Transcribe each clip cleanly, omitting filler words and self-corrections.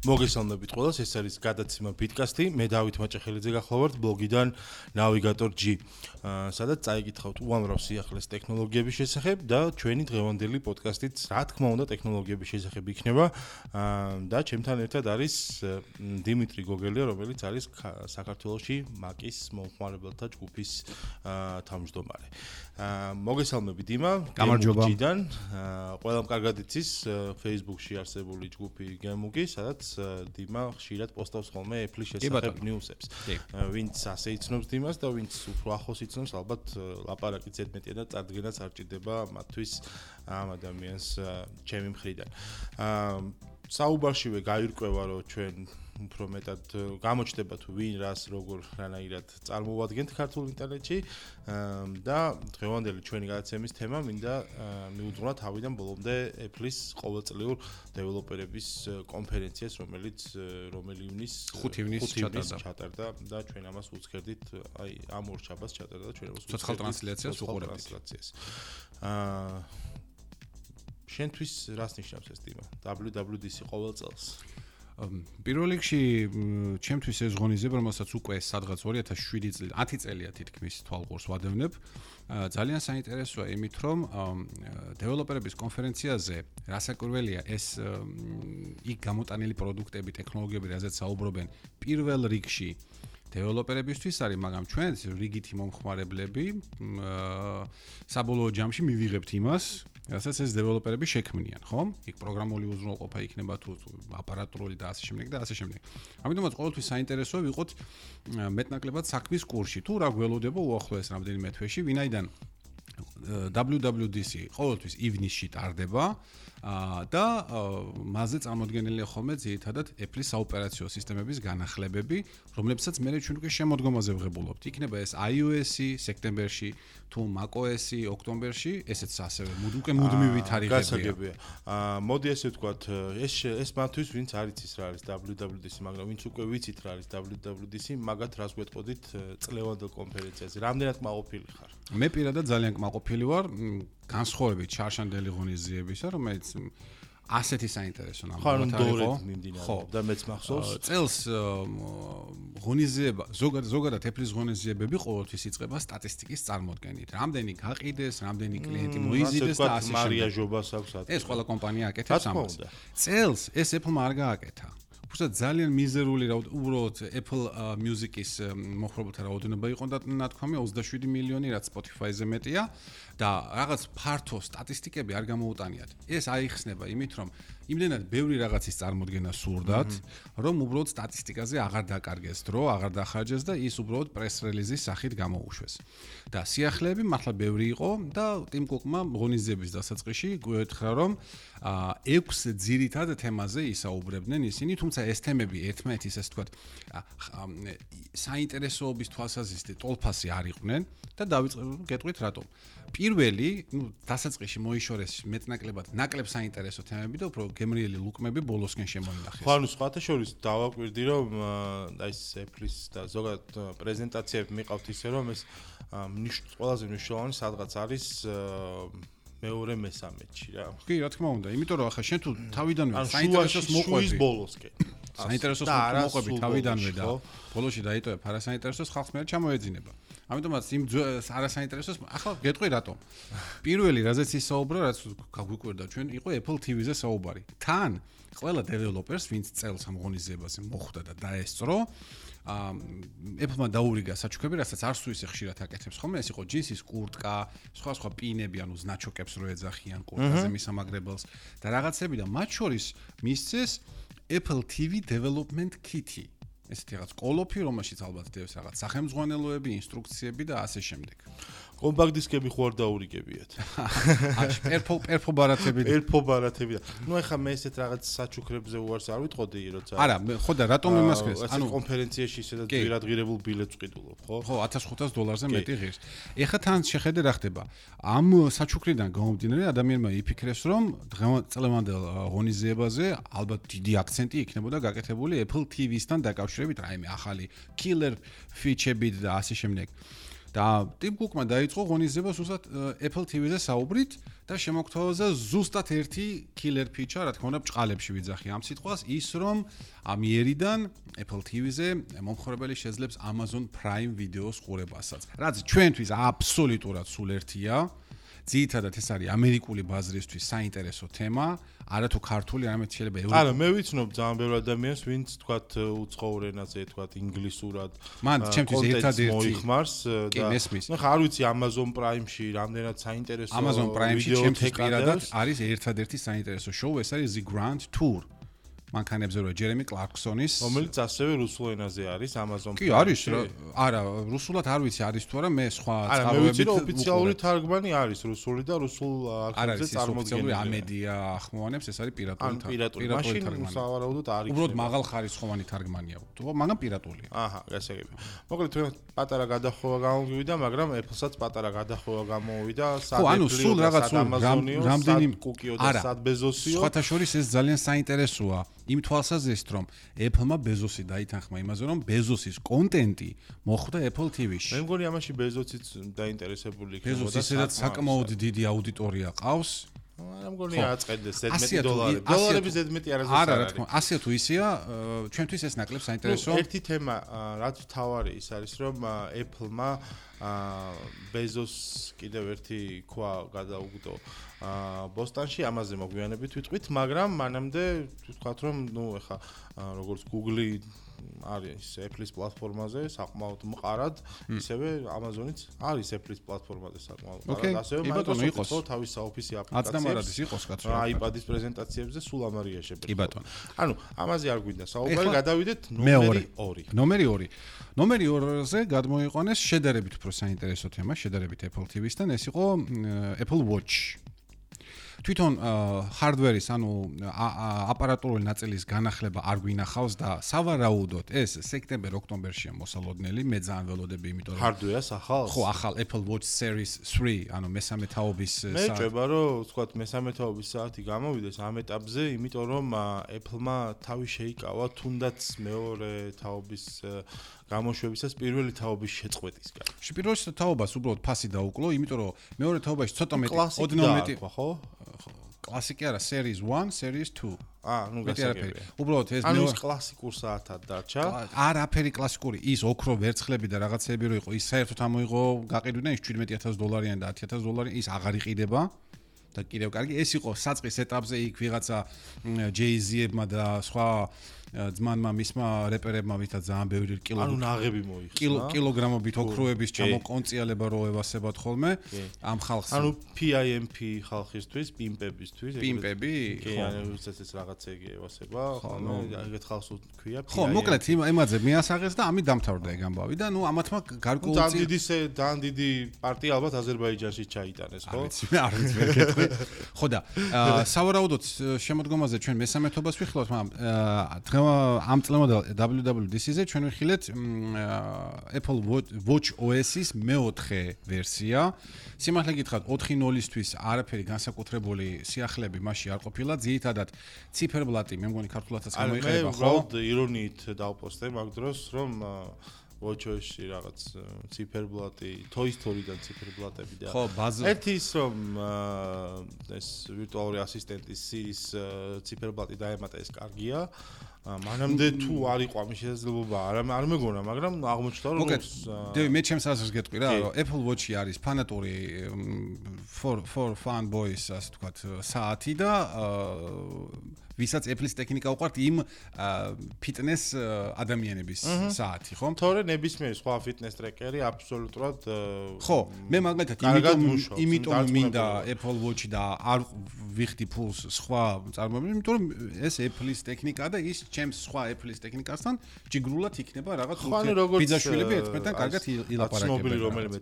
მოგესალმებით ყველას, ეს არის გადაცემა ბიტკასტი. მე დავით მაჭახელიძე გახლავართ ბლოგიდან Navigator G. სადაც წაიკითხავთ უამრავ სიახლეს ტექნოლოგიების შესახებ და ჩვენი დღევანდელი პოდკასტიც, რა თქმა უნდა, ტექნოლოგიების შესახებ იქნება. და ჩემთან ერთად არის დიმიტრი გოგელია, რომელიც არის საქართველოში Mac-ის მომხმარებელთა ჯგუფის თავმჯდომარე. მოგესალმებით დიმა, Gamug-დან. ყველამ კარგად იცის Facebook-ში არსებული ჯგუფი Gamug-ი, სადაც დიმა ხშირად პოსტავს ხოლმე Apple-ის შესახებ ნიუსებს. ვინც ასე იცნობს დიმას და ვინც უფრო ახლოს იცნობს, ალბათ ლაპარაკი ზედმეტია და წარდგენაც არ ჭირდება მათთვის ამ ადამიანს ჩემი მხრიდან. საუბარშივე გაირკვევა, რომ ჩვენ უფრო მეტად გამოჩნდება თუ ვინ რას როგორ რანაირად წარმოვადგენთ ქართულ ინტერნეტში და დღევანდელი ჩვენი გადაცემის თემა მინდა მიუძღვნა თავიდან ბოლომდე Apple-ის ყოველწლიურ დეველოპერების კონფერენციას, რომელი ივნის 5 ივნის ჩატარდა და ჩვენ ამას უცქერდით, აი ამ ორ შაბათს ჩატარდა და ჩვენ ამას ცოცხალ ტრანსლაციას უყურებთ. შენთვის რას ნიშნავს ეს თემა? WWDC ყოველ წელს. პირველ რიგში ჩემთვის ეს ღონისძიება, რომელსაც უკვე სადღაც 2007 წელი 10 წელია თითქმის თვალყურს ვადევნებ, ძალიან საინტერესოა იმით, რომ დეველოპერების კონფერენციაზე რასაკვირველია ეს იქ გამოტანილი პროდუქტები, ტექნოლოგიები, რაზეც საუბრობენ, პირველ რიგში დეველოპერებისთვის არის, მაგრამ ჩვენ რიგითი მომხმარებლები საბოლოო ჯამში მივიღებთ იმას, რასაც ეს დეველოპერები შექმნიან, ხო? იქ პროგრამული უზრუნველყოფა იქნება თუ აპარატურული და ასე შემდეგ და ასე შემდეგ. ამიტომაც ყოველთვის საინტერესოა ვიყოთ მეტნაკლებად საქმის კურსში, თუ რა გველოდება უახლოეს რამდენიმე თვეში, ვინაიდან WWDC ყოველთვის ივნისში ტარდება და მასზე წარმოდგენილია ხოლმე ძირითადად Apple-ის საოპერაციო სისტემების განახლებები, რომლებსაც მე ჩვენ უკვე შემოდგომაზე ვღებულობთ. იქნება ეს iOS-ი სექტემბერში, თუ macOS-ი ოქტომბერში, ესეც ასევე უკვე მუდმივი თარიღებია. გასაგებია. მოდი ესე ვთქვათ, ეს მათთვის ვინც არ იცის რა არის WWDC, მაგრამ ვინც უკვე ვიცით რა არის WWDC, მაგათ რას გვეტყოდით წლევანდელ კონფერენციაზე. რამდენად კმაყოფილი ხარ? მე პირადად ძალიან კმაყოფილი ვარ, განსხვავებით ჩარშანდელი ღონისძიებისა, რომელიც ასეთი საინტერესო ნამდვილად იყო. ხო, და მეც მახსოვს. წელს ღონისძიება, ზოგადად Apple-ის ღონისძიებები ყოველთვის იწყება სტატისტიკის წარმოდგენით. რამდენი გაყიდეს, რამდენი კლიენტი მოიზიდეს და ასე შემდეგ. მარია ჟობას აქვს ათი. ეს ყველა კომპანია აკეთებს ამას. წელს ეს Apple-მა არ გააკეთა. უბრალოდ ძალიან მიზერული უბრალოდ Apple Music-ის მოხმარებელთა რაოდენობა იყო და ნათქვამი 27 მილიონი, რაც Spotify-ზე მეტია და რაღაც ფართო სტატისტიკები არ გამოუტანიათ. ეს აიხსნება იმით, რომ იმდენად ბევრი რაღაცის წარმოდგენა სურდათ, რომ უბრალოდ სტატისტიკაზე აღარ დაკარგეს დრო, აღარ დახარჯეს და ის უბრალოდ პრეს რელიზის სახით გამოუშვეს. და სიახლეები მართლა ბევრი იყო და Tim Cook-მა ღონისძიების დასაწყისში გვეთხრა, რომ 6 ძირითად თემაზე ისაუბრებდნენ ისინი, თუმცა ეს თემები ერთმანეთის ასე ვთქვათ საინტერესოობის თვალსაზრისით ტოლფასი არ იყვნენ და გეტყვით რატომ. პირველი, დასაწყისში მოიშორეს მეტნაკლებად ნაკლებ საინტერესო თემები და უფრო გემრიელი ლუკმები ბოლოსკენ შემოინახეს. ხო, ანუ სხვათა შორის დავაკვირდი, რომ აი ეს Apple-ის და ზოგადად პრეზენტაციები მიყავთ ისე, რომ ეს ყველაზე მნიშვნელოვანი სადღაც არის მეორე მესამედში რა. კი, რა თქმა უნდა, იმიტომ რომ ახლა შენ თუ თავიდანვე საინტერესოს მოყვები ბოლოსკენ. საინტერესოს მოყვები თავიდანვე და ბოლოში დაიტოვებ არასაინტერესოს ხალხს მე ჩამოეძინება. ამიტომაც იმ არასაინტერესოს ახლა გეტყვი რატომ. პირველი რაზეც ისაუბრა, რაც გაგვიკვირდა ჩვენ, იყო Apple TV-ზე საუბარი. თან ყველა დეველოპერს, ვინც წელს ამ ღონისძიებაზე მოხვდა და დაესწრო, Apple-მა დაურიგა საჩუქრები, რასაც არც თუ ისე ხშირად აკეთებს ხოლმე, ეს იყო ჯინსის კურტკა, სხვა პინები, ანუ ზნაჩოკებს რო ეძახიან კურტკაზე მისამაგრებელს და რაღაცები და მათ შორის მისცეს Apple TV Development Kit-ი. ესეთი რაღაც კოლოფი, რომელშიც ალბათ დევს რაღაც სახელმძღვანელოები, ინსტრუქციები და ასე შემდეგ. კომპაქტ დისკები ხო არ დაურიგებიათ. პერფო ბარათები. ნუ ეხლა მე ესეთ რაღაც საჩუქრებზე უარს არ ვიტყოდი, როცა არა, ხო და რატომ იმას ხეს? ანუ კონფერენციაში ისედაც ვირადღირებულ ბილეთს ვყიდულობ, ხო? ხო, $1500-ზე მეტი ღირს. ეხლა თან შეხედე რა ხდება. ამ საჩუქრიდან გამომდინარე ადამიანმა იფიქრეს, რომ წლევანდელ ღონისძიებაზე ალბათ დიდი აქცენტი იქნებოდა გაკეთებული Apple TV-სთან დაკავშირებით, რაიმე ახალი killer feature-ებით და ასე შემდეგ. და Tim Cook-მა დაიწყო ღონისძიება სულსაც Apple TV-ზე საუბრით და შემოგთავაზა ზუსტად ერთი killer feature, რა თქმა უნდა, ბჭყალებში ვიძახი ამ სიტყვას, ის რომ ამიერიდან Apple TV-ზე მომხმარებელი შეძლებს Amazon Prime Video-ს ყურებასაც. რაც ჩვენთვის აბსოლუტურად სულ ერთია. ძირითადად ეს არის ამერიკული ბაზრისთვის საინტერესო თემა, არა თუ ქართული, არამედ შეიძლება ევროპული. არა, მე ვიცნობ ძალიან ბევრ ადამიანს, ვინც თქვათ უცხოურ ენაზე, თქვათ ინგლისურად. მან ჩემთვის ერთადერთი მოიხმარს და ნუ არ ვიცი Amazon Prime-ში რამდენად საინტერესო Amazon Prime-ში ჩემთვის პირადად არის ერთადერთი საინტერესო შოუ, ეს არის The Grand Tour. მანქანებზე რო ჯერემი კლარკსონის, რომელიც ასევე რუსულ ენაზე არის Amazon Prime-ში. კი, არის, არა, რუსულად არ ვიცი არის თუ არა, მე სხვა წყაროებით ოფიციალური თარგმანი არის რუსული და რუსულ არქივზე წარმოდგენილი. ამედია ახმოვანებს, ეს არის პირატული თარგმანი. მაშინ სავარაუდოდ არის. უბრალოდ მაღალ ხარისხოვანი თარგმანია, მაგრამ პირატულია. აჰა, გასაგები. მოკლედ თქვენ პატარა გადახვევა გამოვიდა, მაგრამ Apple-საც პატარა გადახვევა გამოვიდა, სულ რაღაც რამდენი კუკიო და სად ბეზოსიო. სხვათა შორის ეს ძალიან საინტერესოა. იმ თვალსაზრისით რომ Apple-მა ბეზოსი დაითანხმა იმაზე რომ ბეზოსის კონტენტი მოხვდა Apple TV-ში. მე მგონი ამაში ბეზოსიც დაინტერესებული იქნება და ბეზოსის საკმაოდ დიდი აუდიტორია ყავს. არა მგონი აწყდეს $11. დოლარები ზედმეტი არასდროს არ არის. არა, რა თქმა უნდა, ასეა თუ ისეა, ჩვენთვის ეს ნაკლებ საინტერესო. ერთი თემა, რაც თავარი ის არის, რომ Apple-მა ბეზოს კიდევ ერთი ქვა გადაუგდო ბოსტონში, ამაზე მოგვიანებით ვიტყვით, მაგრამ მანამდე ვთქვათ, რომ ნუ ეხა როგორც Google არის Apple-ის პლატფორმაზე საკმაოდ მყარად, ისევე Amazon-იც არის Apple-ის პლატფორმაზე საკმაოდ მყარად. ასევე Microsoft-იც თავის საოფისი აპლიკაციებს იყოს კაცო. iPad-ის პრეზენტაციებზე სულ ამარია შეფერილი. კი ბატონო. ანუ ამაზე არ გვინდა საუბარი, გადავიდეთ ნომერი 2. ნომერი 2-ზე გადმოიყვანეს შედარებით უფრო საინტერესო თემა, შედარებით Apple TV-სთან, ეს იყო Apple Watch. თვითონ hardware-ის, ანუ აპარატურული ნაწილის განახლება არ გვინახავს და სავარაუდოდ ეს სექტემბერ-ოქტომბერშია მოსალოდნელი, მე ძალიან ველოდები, იმიტომ რომ hardware-ს ახალს? ხო, ახალ Apple Watch Series 3, ანუ მესამე თაობის მე ჭება რომ ვთქვათ მესამე თაობის საათი გამოვიდეს ამ ეტაპზე, იმიტომ რომ Apple-მა თავი შეიკავა თუნდაც მეორე თაობის გამოშვებისას პირველი თაობის შეწყვეტისგან. პირველი თაობას უბრალოდ ფასი დაუკლო, იმიტომ რომ მეორე თაობაში ცოტა მეტი, ოდნავ მეტი, ხო? კლასიკი არა, Series 1, Series 2. ნუ გასაგებია. უბრალოდ ეს ანუ კლასიკურ საათად დარჩა. არაფერი კლასიკური, ის ოქრო ვერცხლები და რაღაცეები რო იყო, ის საერთოდ ამოიღო, გაყიდვიდან ის $17,000 და $10,000, ის აღარ იყიდება. და კიდევ კარგი, ეს იყო საწყის ეტაპზე იქ ვიღაცა Jay-Z-ებმა და სხვა ძმანმა მისმა რეპერებმა ვითაც ძალიან ბევრი ანუ ნაღები მოიხსნა. კილოგრამობით ოქროების ჩამოკონციალება რო ევასებათ ხოლმე ამ ხალხს. ანუ PIMP ხალხისთვის, პიმპებისთვის, პიმპები? კი, ანუ ეს რაღაცეები ევასება, ხოლმე ეგეთ ხალხს თქვია PIMP. ხო, მოკლედ იმაზე მიასაღეს და ამით დამთავრდა ეგ ამბავი და ნუ ამათმა გარკვეულწილად ძალიან დიდი პარტია ალბათ აზერბაიჯანში ჩაიტანეს, ხო? არ ვიცი, ვერ გეტყვი. ხო და სავარაუდოდ შემოდგომაზე ჩვენ მესამეთობას ვიხილავთ, მაგრამ ამ წლევანდელ WWDC-ზე ჩვენ ვიხილეთ Apple Watch OS-ის მეოთხე ვერსია. სიმართლე გითხრათ, 4.0-ისთვის არაფერი განსაკუთრებული სიახლეები მასში არ ყოფილა. ძირითადად ციფერბლატი, მე მგონი ქართულადაც გამოიყენება, ხო? მე უბრალოდ ირონიით დავპოსტე მაგ დროს, რომ WatchOS-ში რაღაც ციფერბლატი, Toy Story-დან ციფერბლატები და ხო, ერთი ის რომ ეს ვირტუალური ასისტენტის Siri-ის ციფერბლატი დაემატა ეს კარგია. მანამდე თუ არ იყო ამის შესაძლებლობა, არ მეგონა, მაგრამ აღმოჩნდა რომ დევი მე ჩემს აზრს გეტყვი რა, რომ Apple Watch-ი არის ფანატური for fanboys, ასე ვთქვათ, საათი და ვისაც Apple-ის ტექნიკა უყვართ იმ ფიტნეს ადამიანების საათი, ხო? თორე ნებისმიერი სხვა ფიტნეს ტრეკერი აბსოლუტურად ხო, მე მაგალითად იმიტომ მინდა Apple Watch-ი და არ ვიხდი ფულს სხვა წარმოებებს, იმიტომ რომ ეს Apple-ის ტექნიკაა და ის ჩემს სხვა Apple-ის ტექნიკასთან ჯიგრულად იქნება რაღაც ბიძაშვილები ერთმანეთთან კარგად ილაპარაკებენ. ცნობილი რომელიმე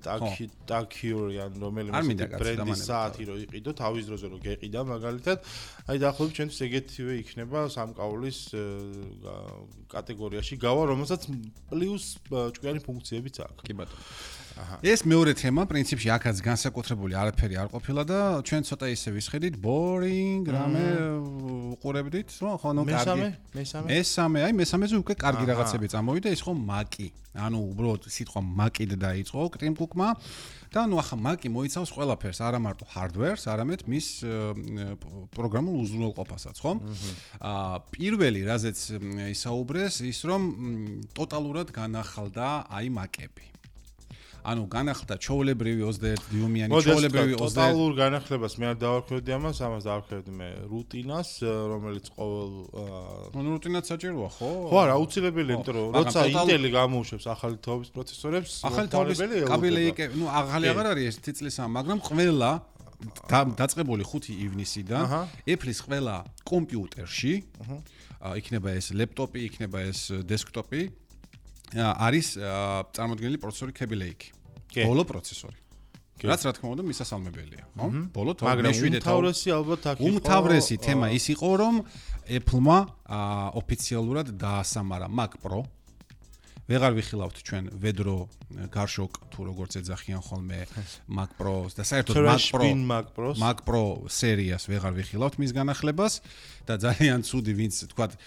Tag Heuer ან რომელიმე ბრენდის საათი რო იყიდო თავის დროზე რო გეყიდა მაგალითად, აი დაახლოებით ჩვენთვის ეგეთივე იქნება სამკაულის კატეგორიაში გავა, რომელსაც პლუს ჭკვიანი ფუნქციებიც აქვს. კი ბატონო. ეს მეორე თემა, პრინციპში აქაც განსაკუთრებული არაფერი არ ყოფილა და ჩვენ ცოტა ისე ვისხედით, boring რამე უყურებდით, ხო, ნუ კარგი. მესამე, აი მესამეზე უკვე კარგი რაღაცები წამოვიდა, ის ხო მაკი. ანუ უბრალოდ სიტყვა მაკიდ დაიწყო კრიმ კუკმა და ნუ ახლა მაკი მოიცავს ყველაფერს, არა მარტო hardware-ს, არამედ მის პროგრამულ უზრუნველყოფასაც, ხო? პირველი, რაზეც ისაუბრეს, ის რომ ტოტალურად განახალდა აი მაკები. ანუ განახლდა ჩოვლებრივი 21 დიუმიანი ჩოვლებრივი 21 ტოტალურ განახლებას მე არ დავარქვევდი ამას დავარქვევდი მე რუტინას რომელიც ყოველ ანუ რუტინაც საჭიროა ხო? ხო არა აუცილებელია იმიტომ რომ როცა ინტელი გამოუშვებს ახალი თაობის პროცესორებს ახალი თაობის კაბელეიკე ნუ ახალი აღარ არის ეს თიწლისა მაგრამ ყველა დაწყებული 5 ივნისიდან Apple-ის ყველა კომპიუტერში იქნება ეს ლეპტოპი იქნება ეს დესკტოპი არის წარმოდგენილი პროცესორი Kaby Lake. ბოლო პროცესორი. რაც რა თქმა უნდა მისასალმებელია, ხო? ბოლო უმთავრესი ალბათ აქ იყო. უმთავრესი თემა ის იყო, რომ Apple-მა ოფიციალურად დაასამარა Mac Pro. ვეღარ ვიხილავთ ჩვენ ვედრო გარშოკ თუ როგორც ეძახიან ხოლმე Mac Pro-ს და საერთოდ Mac Pro სერიას ვეღარ ვიხილავთ მის განახლებას და ძალიან ცუდი ვინც თქვა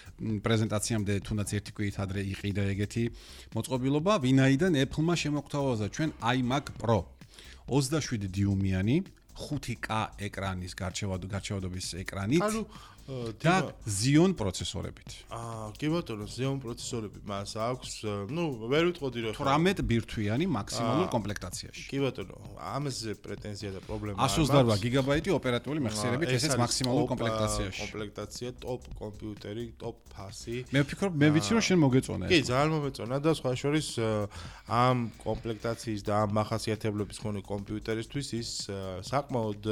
პრეზენტაციამდე თუნდაც ერთი კვირით ადრე იყიდა ეგეთი მოწყობილობა ვინაიდან Apple-მა შემოგთავაზა ჩვენ iMac Pro 27 დიუმიანი 5K ეკრანის გარჩევადობის ეკრანით და Xeon პროცესორებით. კი ბატონო, Xeon პროცესორები მას აქვს, ნუ ვერ ვიტყოდი რომ 18 ბირთვიანი მაქსიმალურ კომპლექტაციაში. კი ბატონო, ამაზე პრეტენზია და პრობლემა არის. 128 გიგაბაიტი ოპერატიული მეხსიერებით, ესეც მაქსიმალურ კომპლექტაციაში. კომპლექტაცია, ტოპ კომპიუტერი, ტოპ ფასი. მე ვფიქრობ, მე ვიცი რომ შენ მოგეწონა ეს. კი, ძალიან მომეწონა და სხვა შორის ამ კომპლექტაციის და ამ მახასიათებლების მქონე კომპიუტერისთვის ის საკმაოდ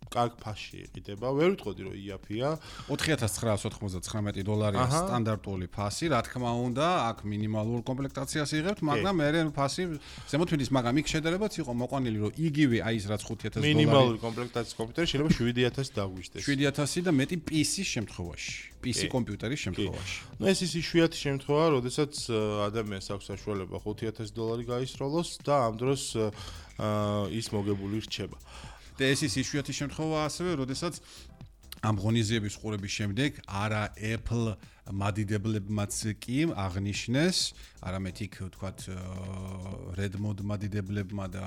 კარგ ფასში იყიდება. ვერ ვიტყოდი რომ იაფია. $4999 სტანდარტული ფასი, რა თქმა უნდა, აქ მინიმალურ კომპლექტაციას იღებთ, მაგრამ მე ფასი ზემოთვლის, მაგრამ იქ შედარებაც იყო მოყვანილი, რომ იგივე აი ეს რაც $5000 მინიმალური კომპლექტაციის კომპიუტერი შეიძლება 7000 დაგვიშდეს. 7000 და მეტი PC-ის შემთხვევაში, PC კომპიუტერის შემთხვევაში. ნუ ეს ის იშვიათი შემთხვევა, როდესაც ადამიანს აქვს საშუალება $5000 გაისროლოს და ამ დროს ის მოგებული რჩება. და ეს ის იშვიათი შემთხვევა ასევე, როდესაც ამ ღონისძიების ყურების შემდეგ არა Apple მადიდებლებმაც კი აღნიშნეს, არამედ იქ ვთქვათ Redmond მადიდებლებმა და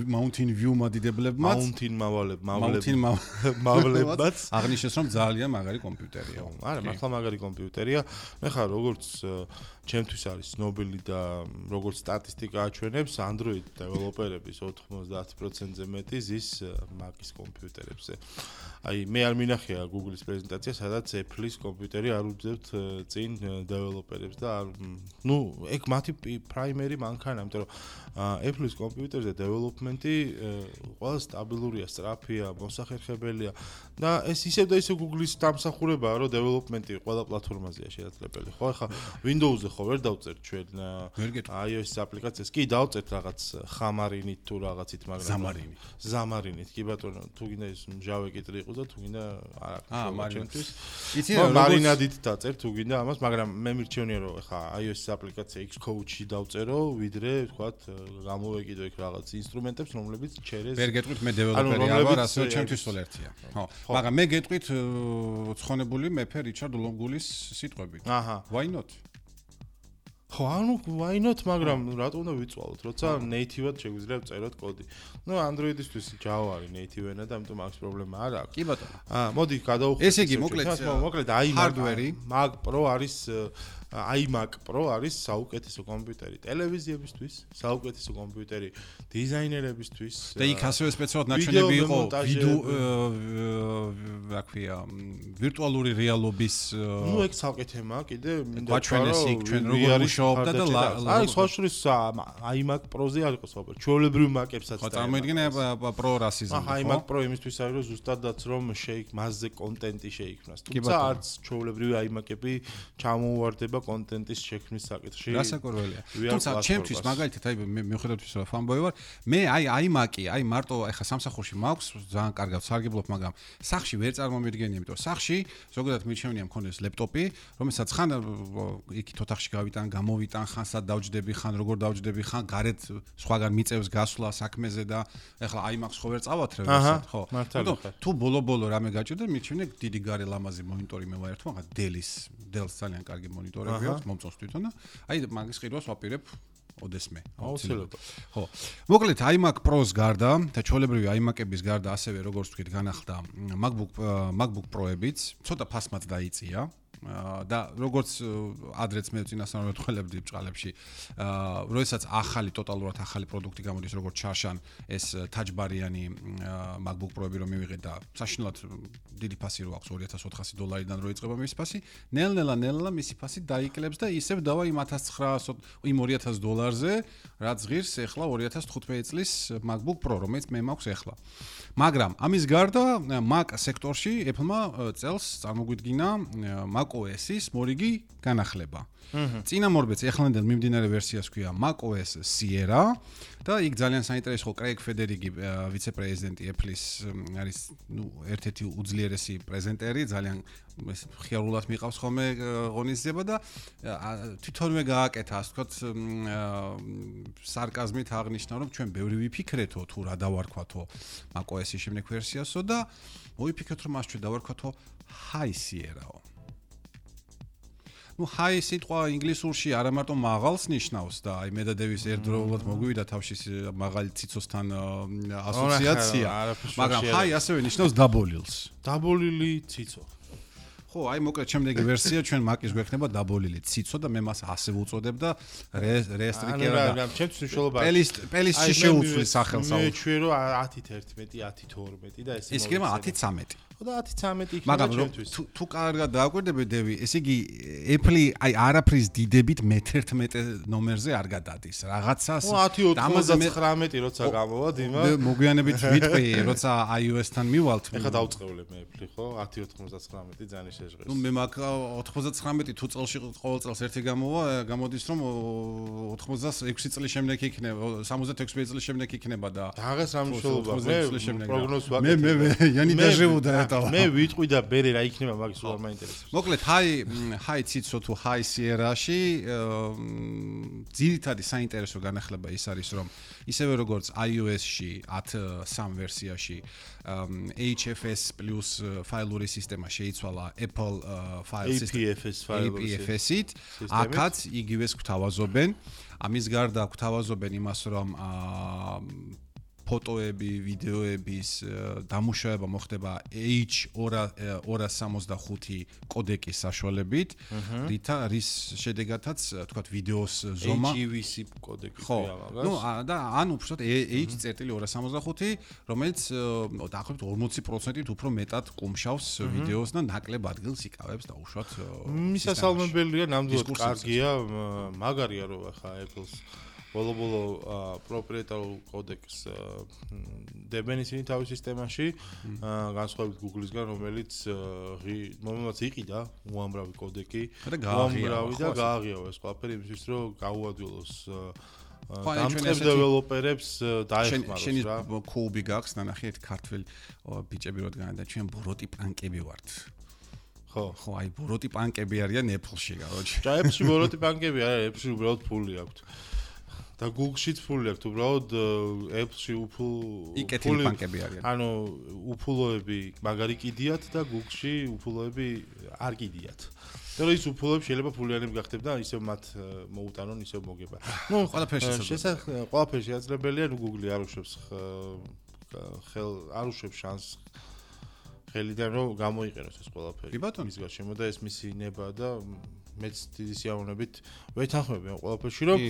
Mountain View მადიდებლებმაც მავლებმაც აღნიშნეს, რომ ძალიან მაგარი კომპიუტერია. არა, მართლა მაგარი კომპიუტერია. მე ხარ როგორც ჩემთვის არის ნობელი და როგორც სტატისტიკა აჩვენებს, Android დეველოპერების 90%-ზე მეტი ზის Mac-ის კომპიუტერებზე. აი მე არ მინახია Google-ის პრეზენტაცია, სადაც Apple-ის კომპიუტერი არ უძებთ წინ დეველოპერებს და ნუ ეგ მათი პრაიმერი მანქანა, იმიტომ რომ Apple-ის კომპიუტერზე დეველოპმენტი ყველა სტაბილურია, სწრაფია, მოსახერხებელია და ეს ისევ და ისევ Google-ის დამსახურებაა, რომ დეველოპმენტი ყველა პლატფორმაზეა შესაძლებელი. ხო, ახლა Windows-ზე ხო ვერ დავწერთ ჩვენ iOS-ის აპლიკაციას. კი, დავწერთ რაღაც ხამარინით თუ რაღაცით, მაგრამ ზამარინით. კი ბატონო, თუ გინდა ის Java კიტრი იყოს და თუ გინდა არა მარინადით. იცი რა მარინადით დაწერთ თუ გინდა ამას, მაგრამ მე მირჩევნია რომ ახლა iOS-ის აპლიკაცია Xcode-ში დავწერო, ვიდრე ვთქვათ გამოვეკიდო იქ რაღაც ინსტრუმენტებს, რომლებიც ჩერეს ვერ გეტყვით მე დეველოპერი არ ვარ, ასე ჩემთვის სულ ერთია. ხო, მაგრამ მე გეტყვით ცხონებული მეფე რიჩარდ ლონგულის სიტყვებით. Why not? ხო, ანუ why not, მაგრამ რატომ უნდა ვიწვალოთ, როცა native-ად შეგვიძლია ვწეროთ კოდი. ნუ Android-ისთვის Java არის native ენა და ამიტომ აქვს პრობლემა არ აქვს. კი ბატონო. მოდი გადავხდეთ. ესე იგი, მოკლედ Mac Pro არის iMac Pro არის საუკეთესო კომპიუტერი ტელევიზიებისთვის, საუკეთესო კომპიუტერი დიზაინერებისთვის. და იქ ასევე სპეციალურად ნაჩვენები იყო რა ქვია, ვირტუალური რეალობის ნუ ეგ ცალკე თემაა, კიდე მინდა ვაჩვენეს იქ ჩვენ როგორ მუშაობდა და აი სხვა შორის iMac Pro-ზე არ იყო საუბარი. ჩვეულებრივ Mac-ებსაც და წარმოიდგინე Pro რასიზმი, ხო? iMac Pro იმისთვის არის, რომ ზუსტადაც რომ მასზე კონტენტი შეიქმნას. თუმცა არც ჩვეულებრივი iMac-ები ჩამოუვარდება კონტენტის შექმნის საკითხში. რასაკვირველია. თუმცა ჩემთვის მაგალითად აი მე მიუხედავად იმისა, რომ ფანბოი ვარ, მე აი iMac-ი, აი მარტო ახლა სამსახურში მაქვს, ძალიან კარგად სარგებლობ, მაგრამ სახში ვერ წარმომიდგენია, იმიტომ სახში ზოგადად მირჩევნია მქონდეს ლეპტოპი, რომელსაც ხან იქით ოთახში გავიტან, გამოვიტან, ხან სად დავჯდები, ხან როგორ დავჯდები, ხან გარეთ სხვაგან მიწევს გასვლა საქმეზე და ახლა iMac-ს ხო ვერ წავათრევ ესეთ, ხო? თუ ბოლო-ბოლო რამე გაჭირდა, მირჩევნია დიდი გარე ლამაზი მონიტორი მე ვაერთო, მაგას Dell-ს ძალიან კარგი მონიტორები აქვს, მომწონს თვითონ და აი მაგის ყიდვას ვაპირებ ოდესმე. აუცილებლად. ხო. მოკლედ iMac Pro-ს გარდა და ჩვეულებრივი iMac-ების გარდა ასევე როგორც ვთქვით, განახლდა MacBook Pro-ებიც, ცოტა ფასმაც დაიწია. და როგორც ადრეც მე წინასწარ ვეთქველებდი ბჭყალებში, როდესაც ტოტალურად ახალი პროდუქტი გამოდის, როგორც ჩარშან ეს touch-ბარიანი MacBook Pro-ები რომ მივიღეთ და საშინლად დიდი ფასი რო აქვს $2400-დან რო იწყება მისი ფასი, ნელ-ნელა მისი ფასი დაიკლებს და ისევ დავა იმ $1900-ზე, რაც ღირს ახლა 2015 წლის MacBook Pro, რომელიც მე მაქვს ახლა. მაგრამ ამის გარდა Mac სექტორში Apple-მა წელს წარმოგვიდგინა macOS-ის მორიგი განახლება. წინამორბედს ეხლანდელ მიმდინარე ვერსიას ქვია macOS Sierra და იქ ძალიან საინტერესო კრეიგ ფედერიგი ვიცე-პრეზიდენტი Apple-ის არის ერთ-ერთი უძლიერესი პრეზენტერი, ძალიან ხიარულად მიყავს ხოლმე ღონისძიება და თვითონვე გააკეთა, ასე ვთქვათ, სარკაზმით აღნიშნა, რომ ჩვენ ბევრი ვიფიქრეთო თუ რა დავარქვათო macOS-ის შემდეგ ვერსიასო და მოიფიქრეთ, რომ მას ჩვენ დავარქვათო High Sierra-ო. High სიტყვა ინგლისურში არა მარტო მაღალს ნიშნავს და აი მე და დევის ერთდროულად მოგვივიდა თავში მაღალი ციცოსთან ასოციაცია, მაგრამ High ასევე ნიშნავს დაბოლილს. დაბოლილი ციცო. ხო, აი მოკლედ შემდეგი ვერსია ჩვენ Mac-ის გვექნება დაბოლილი ციცო და მე მას ასე ვუწოდებ და რესტრიკერა და ჩემთვის მნიშვნელობა პელისტში შეუცვლის სახელს. მე ჩვენ რომ 10-11, 10-12 და ეს ის იქნება 10-13. და 10-13 იქნება მაგრამ თუ კარგად დააკვირდები დევი, ესე იგი Apple აი არაფრის დიდებით მე-11 ნომერზე არ გადადის. რაღაცას 10-99 როცა გამოვა დიმა. მოგვიანებით ვიტყვი, როცა iOS-თან მივალთ. ეხლა დავწყევლებ მე Apple, ხო? 10-99 ძალიან შეჟღერს. მე მაგ 99 თუ წელში ყოველ წელს ერთი გამოდის, რომ 86 წლის შემდეგ იქნება, 76 წლის შემდეგ იქნება და რაღაც სამშობლოა. მე პროგნოზ ვაკეთებ. მე იანი დაჟევუდა მე ვიტყვი და ბერე რა იქნება მაგის უარ მაინტერესებს. მოკლედ High ციცო თუ High Sierra-ში ძირითადი საინტერესო განახლება ის არის, რომ ისევე როგორც iOS-ში 10.3 ვერსიაში HFS+ ფაილური სისტემა შეიცვალა Apple File APFS-ით, აქაც იგივეს გვთავაზობენ. ამის გარდა გვთავაზობენ იმას, რომ ფოტოები, ვიდეოების დამუშავება მოხდება H265 კოდეკის საშუალებით, რის შედეგადაც, თქვათ, ვიდეოს ზომა HEVC კოდეკი ქვია მაგას. და ან უბრალოდ H.265, რომელიც დაახლოებით 40%-ით უფრო მეტად კუმშავს ვიდეოს და ნაკლებ ადგილს იკავებს დაუშვათ. მისასალმებელია, ნამდვილად კარგია, მაგარია რომ ახლა Apple-ს ბოლო პროპრიეტარულ კოდეკს დებენ ისინი თავის სისტემაში, განსხვავებით Google-ისგან, რომელიც იყიდა უამრავი კოდეკი, უამრავი და გააღიავა ეს ყველაფერი იმისთვის, რომ გაუადვილოს დამწყებ დეველოპერებს დაეხმაროს რა. შენი კუბი გაქვს, ნახე ერთ ქართველ ბიჭები რადგან და ჩვენ ბოროტი პანკები ვართ. ხო, აი ბოროტი პანკები არიან Apple-ში, გაროჩი. Apple-ში ბოროტი პანკები არა, Apple-ში უბრალოდ ფული აქვს. და Google-შიც ფული აქვს, უბრალოდ Apple-ში იკეთილი პანკები არიან. ანუ უფულოები მაგარი კიდიათ და Google-ში უფულოები არ კიდიათ. და ის უფულოები შეიძლება ფულიანები გახდეთ და ისევ მათ მოუტანონ, ისევ მოგება. ყველაფერი შესაძლებელია, Google-ი არ უშვებს არ უშვებს შანსს ხელიდან რომ გამოიყენოს ეს ყველაფერი. ის გარშემო და ეს მისი ნება და მეც დიდი სიამოვნებით ვეთანხმები ამ ყველაფერში, რომ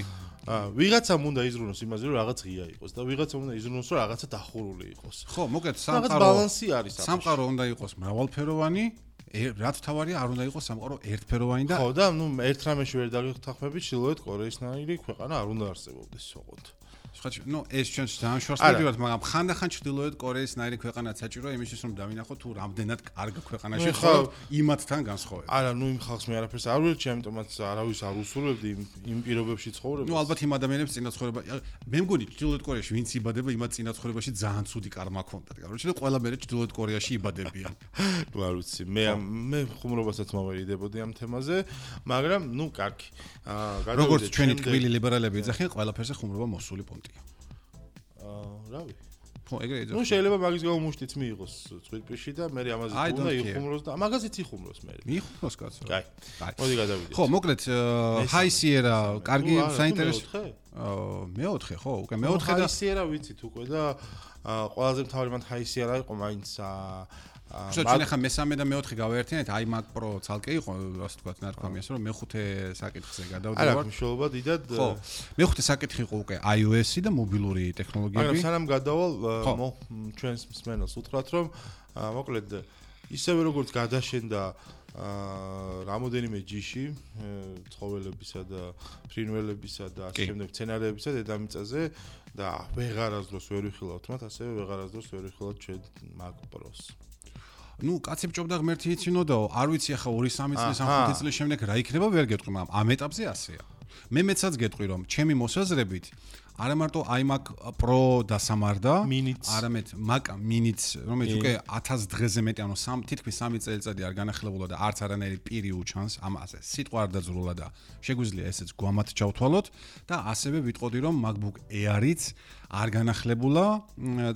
ვიღაცამ უნდა იზრუნოს იმაზე, რომ რაღაც ღია იყოს და ვიღაცამ უნდა იზრუნოს, რომ რაღაცა დახურული იყოს. ხო, მოკლედ სამყარო ბალანსი არის. სამყარო უნდა იყოს მრავალფეროვანი, რაც თავარია არ უნდა იყოს სამყარო ერთფეროვანი და ხო და ერთ რამეში ვერ დაგეთანხმებით, ჩრდილოეთ კორეის ნაირი ქვეყანა არ უნდა არსებობდეს ოღონდ. ნუ ეს ჩვენს ძალიან შორსმედივართ, მაგრამ ხანდახან ჩრდილოეთ კორეის ნაირი ქვეყანაც საჭიროა იმისთვის რომ დავინახოთ თუ რამდენად კარგ ქვეყანაში ხარ იმათთან განსხვავებით. არა, ნუ იმ ხალხს მე არაფერს არ ვერჩი, ამიტომაც არავის არ უსურვებდი იმ პირობებში ცხოვრებას. ნუ ალბათ იმ ადამიანებს წინაცხოვრება მე მგონი ჩრდილოეთ კორეაში ვინც იბადება იმათ წინაცხოვრებაში ძალიან ცუდი კარმა ჰქონდათ. კაროჩე და ყველა მერე ჩრდილოეთ კორეაში იბადებიან. ნუ არ ვიცი, მე ხუმრობასაც მოვერიდებოდი ამ თემაზე, მაგრამ ნუ კარგი. როგორც ჩვენი ტკბილი ლიბერალები ეძახიან, ყველაფერზე ხუმრობა მოსული პონტია. რავი. ხო, ეგრე ეძახიან. ნუ შეიძლება მაგის გამო მუშტიც მიიღოს წვირპიში და მე ამაზე უნდა იხუმროს და მაგაზეც იხუმროს მე. მიიხუმროს კაცო. კაი. მოდი გადავიდეთ. ხო, მოკლედ High Sierra კარგი საინტერესო. მეოთხე, ხო, უკვე მეოთხე და High Sierra ვიცით უკვე და ყველაზე მთავარი მან High Sierra იყო მაინც ჩვენ ახლა მესამე და მეოთხე გავაერთიანეთ, iMac Pro ცალკე იყო, ასე თქვა ნარკვამი ასე რომ მეხუთე საკითხზე გადავდივარ. არა, მნიშვნელობა დიდად. ხო. მეხუთე საკითხი იყო უკვე iOS-ი და მობილური ტექნოლოგიები. მაგრამ სანამ გადავალ, ჩვენს მსმენელს უთხრათ, რომ მოკლედ ისევე როგორც გადაშენდა რამოდენიმე ჯიში ცხოველებისა და ფრინველებისა და ასე შემდეგ სცენარებისა დედამიწაზე და ვეღარასდროს ვერ ვიხილავთ მათ, ასევე ვეღარასდროს ვერ ვიხილავთ ჩვენ Mac Pro-ს. ნუ კაცი ბჭობდა ღმერთი იცინოდაო, არ ვიცი ახლა 2-3 წლის ან 5 წლის შემდეგ რა იქნება ვერ გეტყვი, მაგრამ ამ ეტაპზე ასეა. მე მეცაც გეტყვი რომ ჩემი მოსაზრებით არა მარტო iMac Pro დასამარდა, არამედ Mac Mini-ც, რომელიც უკვე 1000 დღეზე მეტი, ანუ თითქმის 3 წელიწადი არ განახლებულა და არც არანაირი პირი უჩანს, ამაზე სიტყვა არ დაძრულა და შეგვიძლია ესეც გვამად ჩავთვალოთ და ასევე ვიტყოდი რომ MacBook Air-იც არ განახლებულა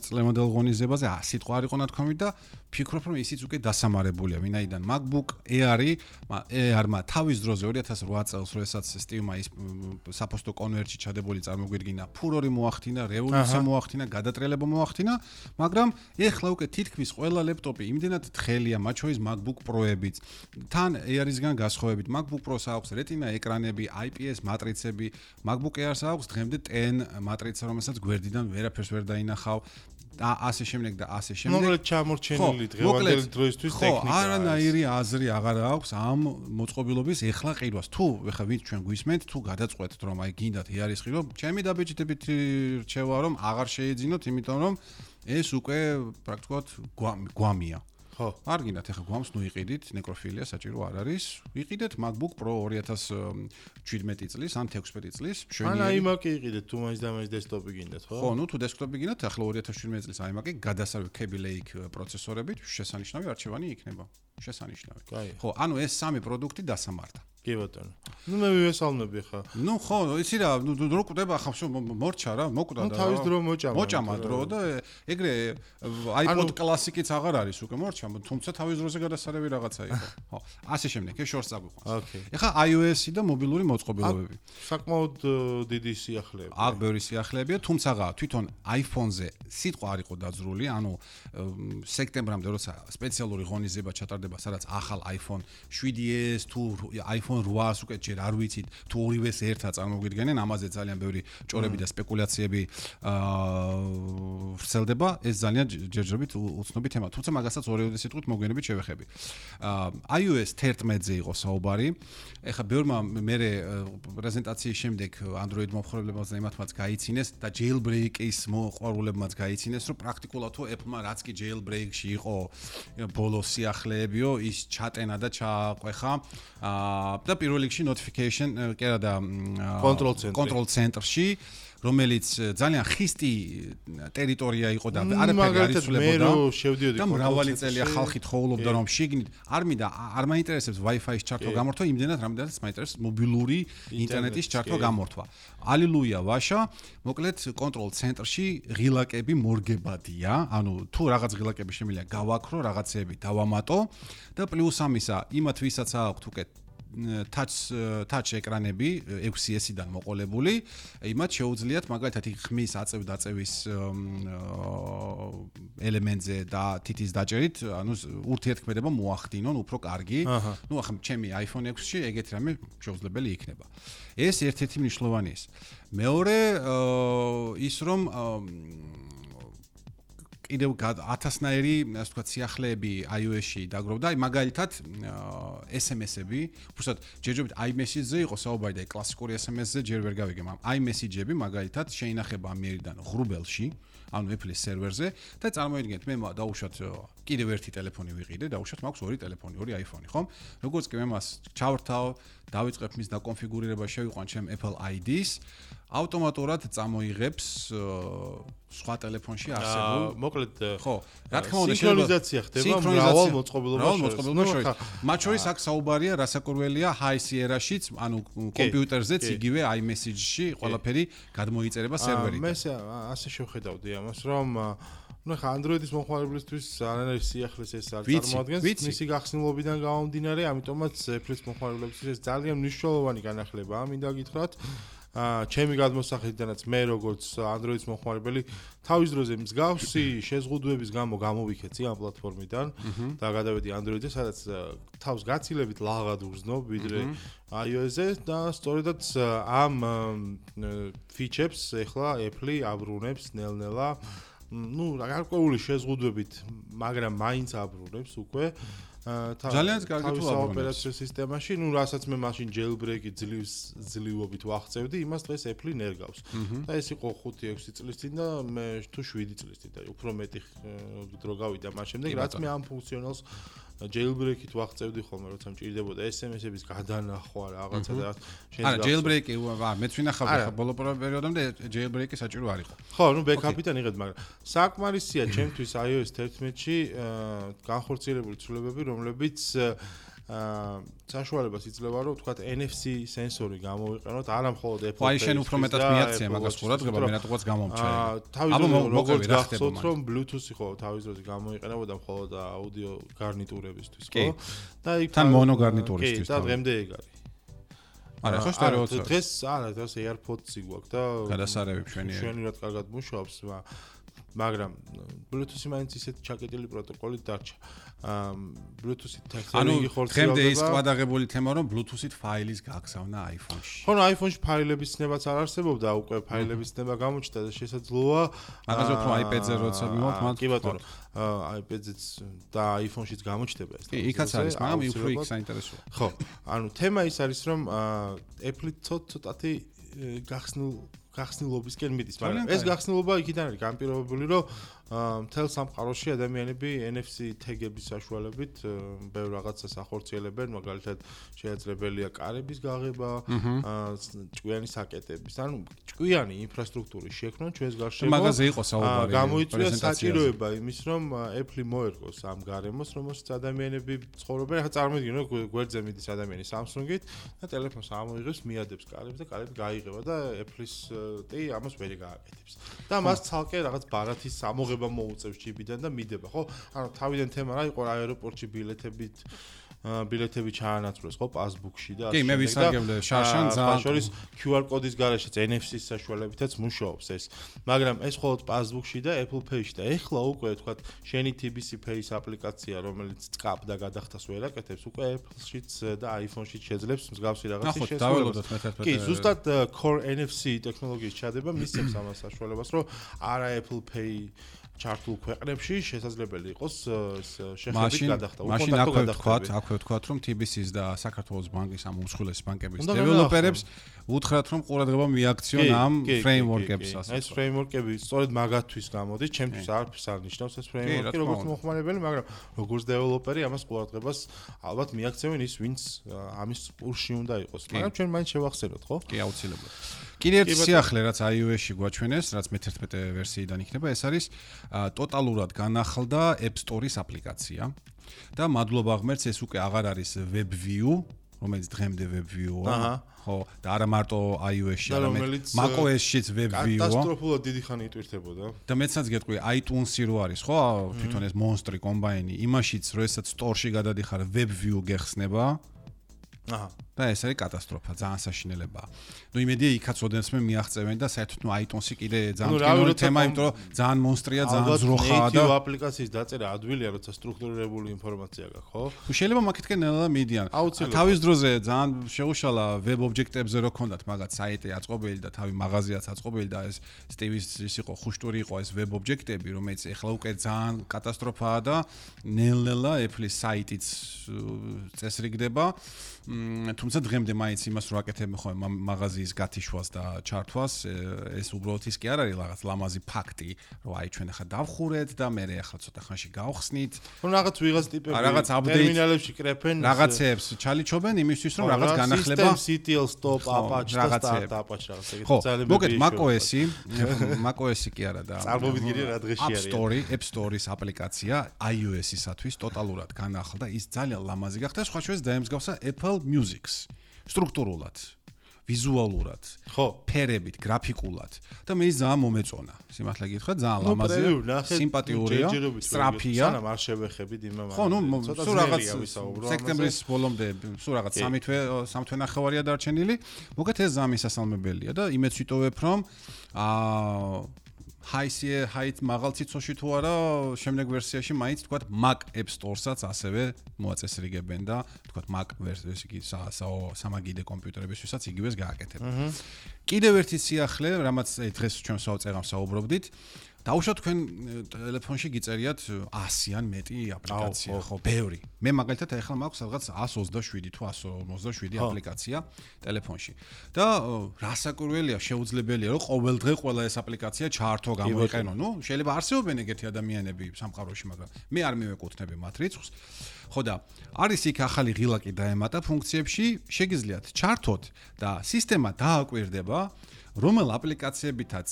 წლევანდელ ღონისძიებაზე, სიტყვა არ იყო ნათქვამი და ფიქრობ რომ ისიც უკვე დასამარებულია, ვინაიდან MacBook Air-მა თავის დროზე 2008 წელს, როდესაც Steve-მა ის საფოსტო კონვერტში ჩადებული წარმოგვიდგინა, ფურორი მოახდინა, რევოლუცია მოახდინა, გადატრიალება მოახდინა, მაგრამ ეხლა უკვე თითქმის ყველა ლეპტოპი იმდენად თხელია, მათ შორის MacBook Pro-ებიც, თან Air-ისგან გასხოვებით, MacBook Pro-ს აქვს Retina ეკრანები, IPS მატრიცები, MacBook Air-ს აქვს დღემდე 10 მატრიცა, რომელსაც გვერდიდან ვერაფერს ვერ დაინახავ. და ასე შემდეგ და ასე შემდეგ. მოკლედ ჩამორჩენილი დღევანდელი დროისთვის ტექნიკა. ხო, არანაირი აზრი აღარ აქვს ამ მოწყობილობის ეხლა ყიდვას. თუ ეხლა ვინც ჩვენ გვისმენთ, თუ გადაწყვეტთ რომ აი გინდათ იარის ყიდვა, ჩემი დაბეჭდებით რჩევა რომ აღარ შეეძინოთ, იმიტომ რომ ეს უკვე პრაქტიკულად გვამია. ხო, არ გინდათ ეხლა გვამს ნუ იყიდით, ნეკროფილია საჭირო არ არის. ვიყიდეთ MacBook Pro 2017 წლის ან 16 წლის. ან iMac-ი იყიდეთ, თუ მაინც და მაინც დესკტოპი გინდათ, ხო? ხო, ნუ თუ დესკტოპი გინდათ, ახლა 2017 წლის iMac-ი გადასარევი Kaby Lake პროცესორებით შესანიშნავი არჩევანი იქნება. შესანიშნავი. ხო, ანუ ეს სამი პროდუქტი დასამართა. კი ბატონო. ნუ მე ვიესალმები ხა. ნუ ხო, იცი რა, რო კვდება ხა მორჩა რა, მოკვდა და. ნუ თავის დრო მოჭამა. მოჭამა დრო და ეგრე iPod კლასიკიც აღარ არის უკვე მორჩა, თუმცა თავის დროზე გადასარევი რაღაცა იყო. ხო, ასე შემდეგ, ეს შორს წაგვიყვანს. ოკეი. ეხა iOS-ი და მობილური მოწყობილობები. საკმაოდ დიდი სიახლეები. აქ ბევრი სიახლეებია, თუმცა თვითონ iPhone-ზე სიტყვა არ იყო დაძრული, ანუ სექტემბრამდე როცა სპეციალური ღონისძიება ჩატარდება, სადაც ახალ iPhone 7s თუ iPhone 8-ს უკვე ჯერ არ ვიცით, თუ ორივეს ერთად წარმოგვიდგენენ, ამაზე ძალიან ბევრი ჭორები და სპეკულაციები ვრცელდება, ეს ძალიან ჯერჯერობით უცნობი თემა, თუმცა მაგასაც ორივე სიტყვით მოგვიანებით შევეხები. iOS 11-ზე იყო საუბარი. ეხლა ბევრმა მერე პრეზენტაციის შემდეგ Android მომხმარებლებმა იმათმაც გაიცინეს და jailbreak-ის მოყვარულებმაც გაიცინეს, რომ პრაქტიკულად თუ Apple-მა რაც კი jailbreak-ში იყო ბოლო სიახლეებიო, ის ჩატენა და ჩააყვეხა და პირველ რიგში notification კი არა და control center-ში რომელიც ძალიან ხისტი ტერიტორია იყო და არაფერი არ იცვლებოდა და მრავალი წელია ხალხი თხოვლობდა რომ შიგნით არ მაინტერესებს Wi-Fi-ის ჩართვა გამორთვა, იმდენად რამდენადაც მაინტერესებს მობილური ინტერნეტის ჩართვა გამორთვა. ალილუია ვაშა, მოკლედ control center-ში ღილაკები მორგებადია, ანუ თუ რაღაც ღილაკები შემიძლია გავაქრო, რაღაცეები დავამატო და პლუს ამისა იმათ ვისაც აქვთ უკვე touch ეკრანები 6S-დან მოყოლებული, იმათ შეუძლიათ მაგალითად ხმის აწევ-დაწევის ელემენტზე და თითის დაჭერით, ანუ ურთიერთქმედება მოახდინონ უფრო კარგი. ნუ ახლა ჩემი iPhone 6-ში ეგეთი რამე შეუძლებელი იქნება. ეს ერთ-ერთი მნიშვნელოვანი ის. მეორე ის რომ კიდევ 1000-ნაირი, ასე ვთქვათ, სიახლეები iOS-ში დაგროვდა. აი მაგალითად SMS-ები, უბრალოდ ჯერჯერობით iMessage-ზე იყო საუბარი და კლასიკური SMS-ზე ჯერ ვერ გავიგე, მაგრამ iMessage-ები მაგალითად შეინახება ამიერიდან ღრუბელში, ანუ Apple-ის სერვერზე და წარმოიდგინეთ, მე დავუშვათ კიდევ ერთი ტელეფონი ვიყიდე, დავუშვათ მაქვს ორი ტელეფონი, ორი iPhone-ი, ხომ? როგორც კი მე მას ჩავრთავ, დავიწყებ მის დაკონფიგურირება, შევიყვან ჩემ Apple ID-ს, ავტომატურად წამოიღებს სხვა ტელეფონში არსებულ. მოკლედ, ხო, რა თქმა უნდა, სინქრონიზაცია ხდება მრავალ მოწყობილობაში შორის. მათ შორის აქ საუბარია, რასაკურველია High Sierra-შიც, ანუ კომპიუტერზეც იგივე iMessage-ში ყველაფერი გადმოიწერება სერვერიდან. მე ასე შევხედავდი ამას, რომ ну ხა Android-ის მომხმარებლისთვის არანაირი სიახლეს ეს არ წარმოადგენს მისი გახსნილობიდან გამომდინარე, ამიტომაც Apple-ის მომხმარებლებისთვის ეს ძალიან მნიშვნელოვანი განახლებაა, მინდა გითხრათ. ჩემი გადმოსახედიდანაც მე როგორც Android-ის მომხმარებელი თავის დროზე მსგავსი შეზღუდვების გამო გამოვიქეცი ამ პლატფორმიდან და გადავედი Android-ზე, სადაც თავს გაცილებით ლაღად ვგრძნობ ვიდრე iOS-ზე და სწორედაც ამ ფიჩებს ეხლა Apple აბრუნებს ნელ-ნელა. ну, გარკვეული შეზღუდვებით, მაგრამ მაინც აბრუნებს უკვე. ძალიან კარგი თუ აბრუნებს ოპერაციო სისტემაში, ну, რასაც მე მაშინ jailbreak-ი ძლივობით ვახცევდი, იმას დღეს Apple ნერგავს. და ეს იყო 5-6 წლის წინ და მე თუ 7 წლის წინ და უფრო მეტი დრო გავიდა მას შემდეგ, რაც მე ამ ფუნქციონალს jailbreak-ით ვახცევდი ხოლმე, როცა მჭირდებოდა SMS-ების გადანახვა რაღაცა და არა, jailbreak-ი, მეც ვინახავდი ხა ბოლო პერიოდამდე jailbreak-ი საჭირო არ იყო. ხო, ну, backup-იდან იღეთ, მაგრამ საკმარისია ჩემთვის iOS 11-ში განხორციელებული ცვლილებები, რომლებიც საშუალებას იძლევა, რომ თქვათ NFC სენსორი გამოვიყენოთ, არა მხოლოდ Apple Pay-ში. აი შენ უფრო მეტად მიაქცია მაგას ყურადღება, მე რატოღაც გამომჩა. თავის როგორც გახსოვთ, რომ Bluetooth-ი ხო თავის დროზე გამოიყენებოდა მხოლოდ აუდიო გარნიტურებისთვის, ხო? და იქ თან მონო გარნიტურისთვის. და დღემდე ეგ არის. არა, ხო სტერეოც. დღეს არა, დღეს AirPods-ი გვაქვს და გადასარევი მშვენივრად კარგად მუშაობს, მაგრამ Bluetooth-ი მაინც ისეთი ჩაკეტილი პროტოკოლით დარჩა. Bluetooth-ით ტექნოლოგი ხორციელდება. დღემდე ის ყადაღებული თემა, რომ Bluetooth-ით ფაილის გაგზავნა iPhone-ში. ხო, iPhone-ში ფაილების ცნებაც არ არსებობდა, უკვე ფაილების ცნება გამოჩნდა და შესაძლოა მაგაზე უფრო iPad-ზე როცა მივაქვს, მათ კი ბატონო, iPad-ზეც და iPhone-შიც გამოჩნდება ეს. კი, იქაც არის, მაგრამ უფრო იქ საინტერესოა. ხო, ანუ თემა ის არის, რომ Apple ცოტათი გახსნილობისკენ მიდის, მაგრამ ეს გახსნილობა იქიდან არის განპირობებული, რომ მთელ სამყაროში ადამიანები NFC თეგების საშუალებით ბევრ რაღაცას ახორციელებენ, მაგალითად შეეძლებელია კარების გაღება, ჭკვიანი საკეტების, ანუ ჭკვიანი ინფრასტრუქტურის შექმნა ჩვენს გარშემო. მაგაზე იყო საუბარი. გამოიწვია საჭიროება იმის, რომ Apple მოერგოს ამ გარემოს, რომელშიც ადამიანები ცხოვრობენ. ახლა წარმოიდგინე, რომ გვერდზე მიდის ადამიანი Samsung-ით და ტელეფონს ამოიღებს, მიადებს კარებს და კარები გაიღება და Apple-ის ტი ამას ვერ გააკეთებს. და მას ცალკე რაღაც ბარათის ამოღება მოუწევს ჩიპიდან და მიდება, ხო? ანუ თავიდან თემა რა იყო აეროპორტში ბილეთები ჩაანაცვლეს, ხო, პასბუქში და კი, მე ვისარგებლე შარშან ძალიან. შორის QR კოდის გარეშეც NFC-ის საშუალებითაც მუშაობს ეს. მაგრამ ეს მხოლოდ პასბუქში და Apple Pay-ში და ეხლა უკვე თქვათ, შენი TBC Pay-ის აპლიკაცია, რომელიც წკაპ და გადახდას ვერ აკეთებს, უკვე Apple-შიც და iPhone-შიც შეძლებს მსგავსი რაღაცის შესრულებას. კი, ზუსტად Core NFC ტექნოლოგიის ჩადება მისცემს ამას საშუალებას, რომ არა Apple Pay ჩართულ ქვეყნებში შესაძლებელი იყოს შეხებით გადახდა. აქვე ვთქვათ, რომ TBC-ის და საქართველოს ბანკის ამ უმსხვილესი ბანკების დეველოპერებს უთხრათ, რომ ყურადღება მიაქციონ ამ ფრეიმვორკებს. ეს ფრეიმვორკები სწორედ მაგათთვის გამოდის, ჩემთვის არაფერს არ ნიშნავს ეს ფრეიმვორკი, როგორც მომხმარებელი, მაგრამ როგორც დეველოპერი ამას ყურადღებას ალბათ მიაქცევენ ის, ვინც ამის პურში უნდა იყოს. მაგრამ ჩვენ მაინც შევახსენოთ, ხო? კი, აუცილებლად. კიდე ერთი სიახლე, რაც iOS-ში გვაჩვენეს, რაც მე-11 ვერსიიდან იქნება, ეს არის ტოტალურად განახლდა App Store-ის აპლიკაცია და მადლობა ღმერთს ეს უკვე აღარ არის WebView, რომელიც დღემდე WebView-ა, ხო, და არა მარტო iOS-ში, არამედ macOS-შიც WebView-ა. კატასტროფულად დიდი ხანი იტვირთებოდა. და მეცაც გეტყვი, iTunes-ი რო არის, ხო, თვითონ ეს მონსტრი კომბაინი, იმაშიც როდესაც Store-ში გადადიხარ WebView გეხსნება. და ეს არის კატასტროფა, ძალიან საშინელებაა. ნუ იმედია იქაც ოდენსმე მიაღწევენ და საერთოდ ნუ iTunes-ი კიდე ძალიან კინოური თემა, იმიტომ რომ ძალიან მონსტრია, ძალიან ზროხაა და native აპლიკაციის დაწერა ადვილია, როცა სტრუქტურირებული ინფორმაცია გაქვს, ხო? შეიძლება მაგითკენ ნელა მიდიან. თავის დროზე ძალიან შეუშალა web object-ებზე რო ქონდათ მაგათ საიტი აწყობილი და თავი მაღაზიაც აწყობილი და ეს Steve-ის ის იყო ხუშტური იყო ეს web object-ები, რომელიც ეხლა უკვე ძალიან კატასტროფაა და ნელ-ნელა Apple-ის საიტიც წესრიგდება. თუმცა დღემდე მაინც იმას რო აკეთებენ ხოლმე მაღაზიის გათიშვას და ჩართვას, ეს უბრალოდ ის კი არ არის რაღაც ლამაზი ფაქტი, რომ აი ჩვენ ახლა დავხურეთ და მე ახლა ცოტა ხანში გავხსნით. ნუ რაღაც ვიღაც ტიპები ტერმინალებში კრეფენ რაღაცებს ჩალიჩობენ იმისთვის რომ რაღაც განახლება CTL stop Apache და start Apache რაღაც ეგეთი ძალიან მოგეთ macOS-ი კი არა და წარმოვიდგინე რა დღეში არის App Store-ის აპლიკაცია iOS-ისათვის ტოტალურად განახლდა ის ძალიან ლამაზი გახდა სხვა შორის დაემსგავსა Apple Music-ს სტრუქტურულად ვიზუალურად, ხო, ფერებით, გრაფიკულად და მე ის ძალიან მომეწონა. სიმართლე გითხრა, ძალიან ლამაზია, სიმპათიურია, სწრაფია. სანამ არ შევეხებით იმამ. ხო, ნუ სულ რაღაც სექტემბრის ბოლომდე სულ რაღაც 3 თვე ნახევარია დარჩენილი. მოგეთ ეს ძალიან მისასალმებელია და იმეც ვიტოვებ რომ high მაღალ ციცოში თუ არა შემდეგ ვერსიაში მაინც თქვა Mac App Store-საც ასევე მოაწესრიგებენ და თქვა Mac ვერსიის იგი სამაგიდე კომპიუტერებისთვისაც იგივეს გააკეთებენ. კიდევ ერთი სიახლე, რამაც დღეს ჩვენ საუბრობდით, დაუშვათ თქვენ ტელეფონში გიწერიათ 100-ან მეტი აპლიკაცია, ხო, ბევრი. მე მაგალითად ახლა მაქვს რაღაც 127 თუ 157 აპლიკაცია ტელეფონში. და რასაკვირველია, შეუძლებელია, რომ ყოველ დღე ყველა ეს აპლიკაცია ჩაართო, გამოიყენო. ნუ შეიძლება არსებობენ ეგეთი ადამიანები სამყაროში, მაგრამ მე არ მივეკუთვნები მათ რიცხვს. ხო და არის იქ ახალი ღილაკი დაემატა ფუნქციებში, შეგიძლიათ ჩართოთ და სისტემა დააკვირდება რომელ აპლიკაციებითაც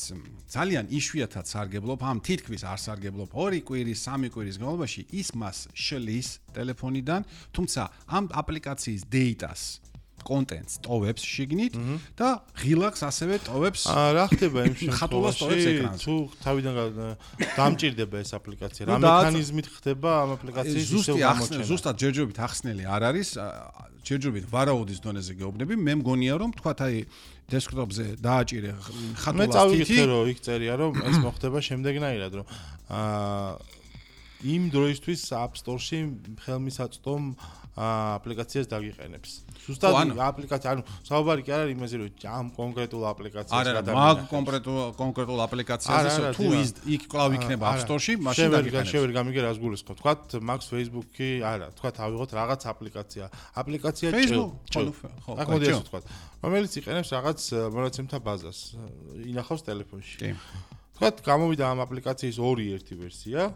ძალიან იშვიათად სარგებლობ, ამ თითქმის არ სარგებლობ 2 კვირის, 3 კვირის განმავლობაში ის მას შლის ტელეფონიდან, თუმცა ამ აპლიკაციის data-ს, კონტენტს ტოვებს შიგნით და ღილაკს ასევე ტოვებს. რა ხდება იმ შემთხვევაში, თუ თავიდან დამჭირდება ეს აპლიკაცია, რა მექანიზმით ხდება ამ აპლიკაციის ისევ გამოჩენა? ზუსტად ჯერჯერობით ახსნელი არ არის, ჯერჯერობით ვარაუდის დონეზე გეუბნები, მე მგონია რომ თქვათ აი დესკტოპზე დააჭირე ხატულას თითი. მე წავიკითხე რომ იქ წერია რომ ეს მოხდება შემდეგნაირად რომ იმ დროისთვის App Store-ში ხელმისაწვდომ აპლიკაციას დაგიყენებს. ზუსტად აპლიკაცია, ანუ საუბარი კი არ არის იმაზე რომ ამ კონკრეტულ აპლიკაციას გადავიღებ. არა, კონკრეტულ აპლიკაციაზე თუ იქ კლავ იქნება App Store-ში, მაშინ დაგიყენებს. შევერ გამიგე რას გულისხმობ. თქვათ Max Facebook-ი, არა, თქვათ ავიღოთ რაღაც აპლიკაცია. აპლიკაცია ხო, მოდი ასე თქვათ. რომელიც იყენებს რაღაც მონაცემთა ბაზას, ინახავს ტელეფონში. კი. თქვათ გამოვიდა ამ აპლიკაციის 2.1 ვერსია.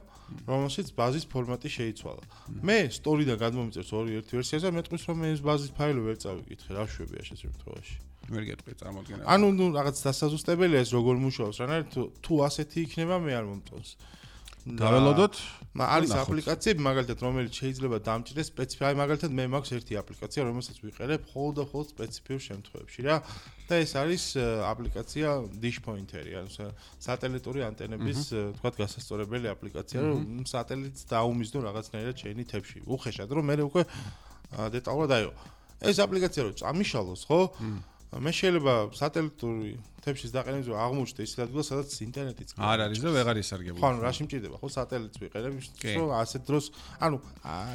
რომელშიც ბაზის ფორმატი შეიცვალა. მე სტორიდან გადმომიწერს 2.1 ვერსიას და მეტყვის რომ მე ეს ბაზის ფაილი ვერ წავიკითხე, რა შვებია ეს შემთხვევაში. ვერ გეტყვი წარმოდგენა. ანუ ნუ რაღაც დასაზუსტებელია ეს როგორ მუშაობს, რანაირ თუ ასეთი იქნება მე არ მომწონს. დაველოდოთ? არის აპლიკაციები მაგალითად რომელიც შეიძლება დამჭირდეს სპეციფიკად მაგალითად მე მაქვს ერთი აპლიკაცია რომელსაც ვიყენებ მხოლოდ და მხოლოდ სპეციფიურ შემთხვევებში რა და ეს არის აპლიკაცია Dish Pointer-ი ანუ სატელიტური ანტენების თქვათ გასასწორებელი აპლიკაცია რომ სატელიტს დაუმისდო რაღაცნაირად შენი თებში უხეშად რომ მე უკვე დეტალურად აიო ეს აპლიკაცია რომ წამიშალოს ხო მე შეიძლება სატელიტური თებშის დაყენებაზე აღმოჩნდა ის ადგილი, სადაც ინტერნეტიც არ არის და ვეღარ ისარგებლო. ხო, ანუ რაში მჭირდება, ხო, სატელიტს ვიყენებ, რომ ასეთ დროს, ანუ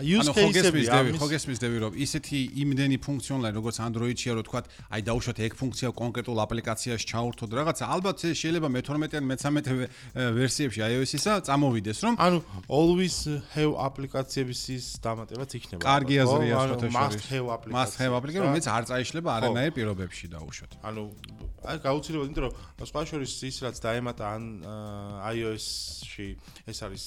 use case-ები ხო გესმისდები, რომ ისეთი იმდენი ფუნქციონალი, როგორც Android-ში რო თქვა, აი დაუშვათ ეგ ფუნქცია კონკრეტულ აპლიკაციაში ჩაურთოთ რაღაცა, ალბათ შეიძლება მე-12 ან მე-13 ვერსიებში iOS-ისა წამოვიდეს, რომ ანუ always have აპლიკაციების ის დამატებაც იქნება. კარგი აზრია შეთაშორის. must have აპლიკაცია, რომელიც არ წაიშლება არანაირ პირობებში დაუშვათ. ანუ აი გაუცილებლად იმიტომ რომ სხვა შორის ის რაც დაემატა iOS-ში ეს არის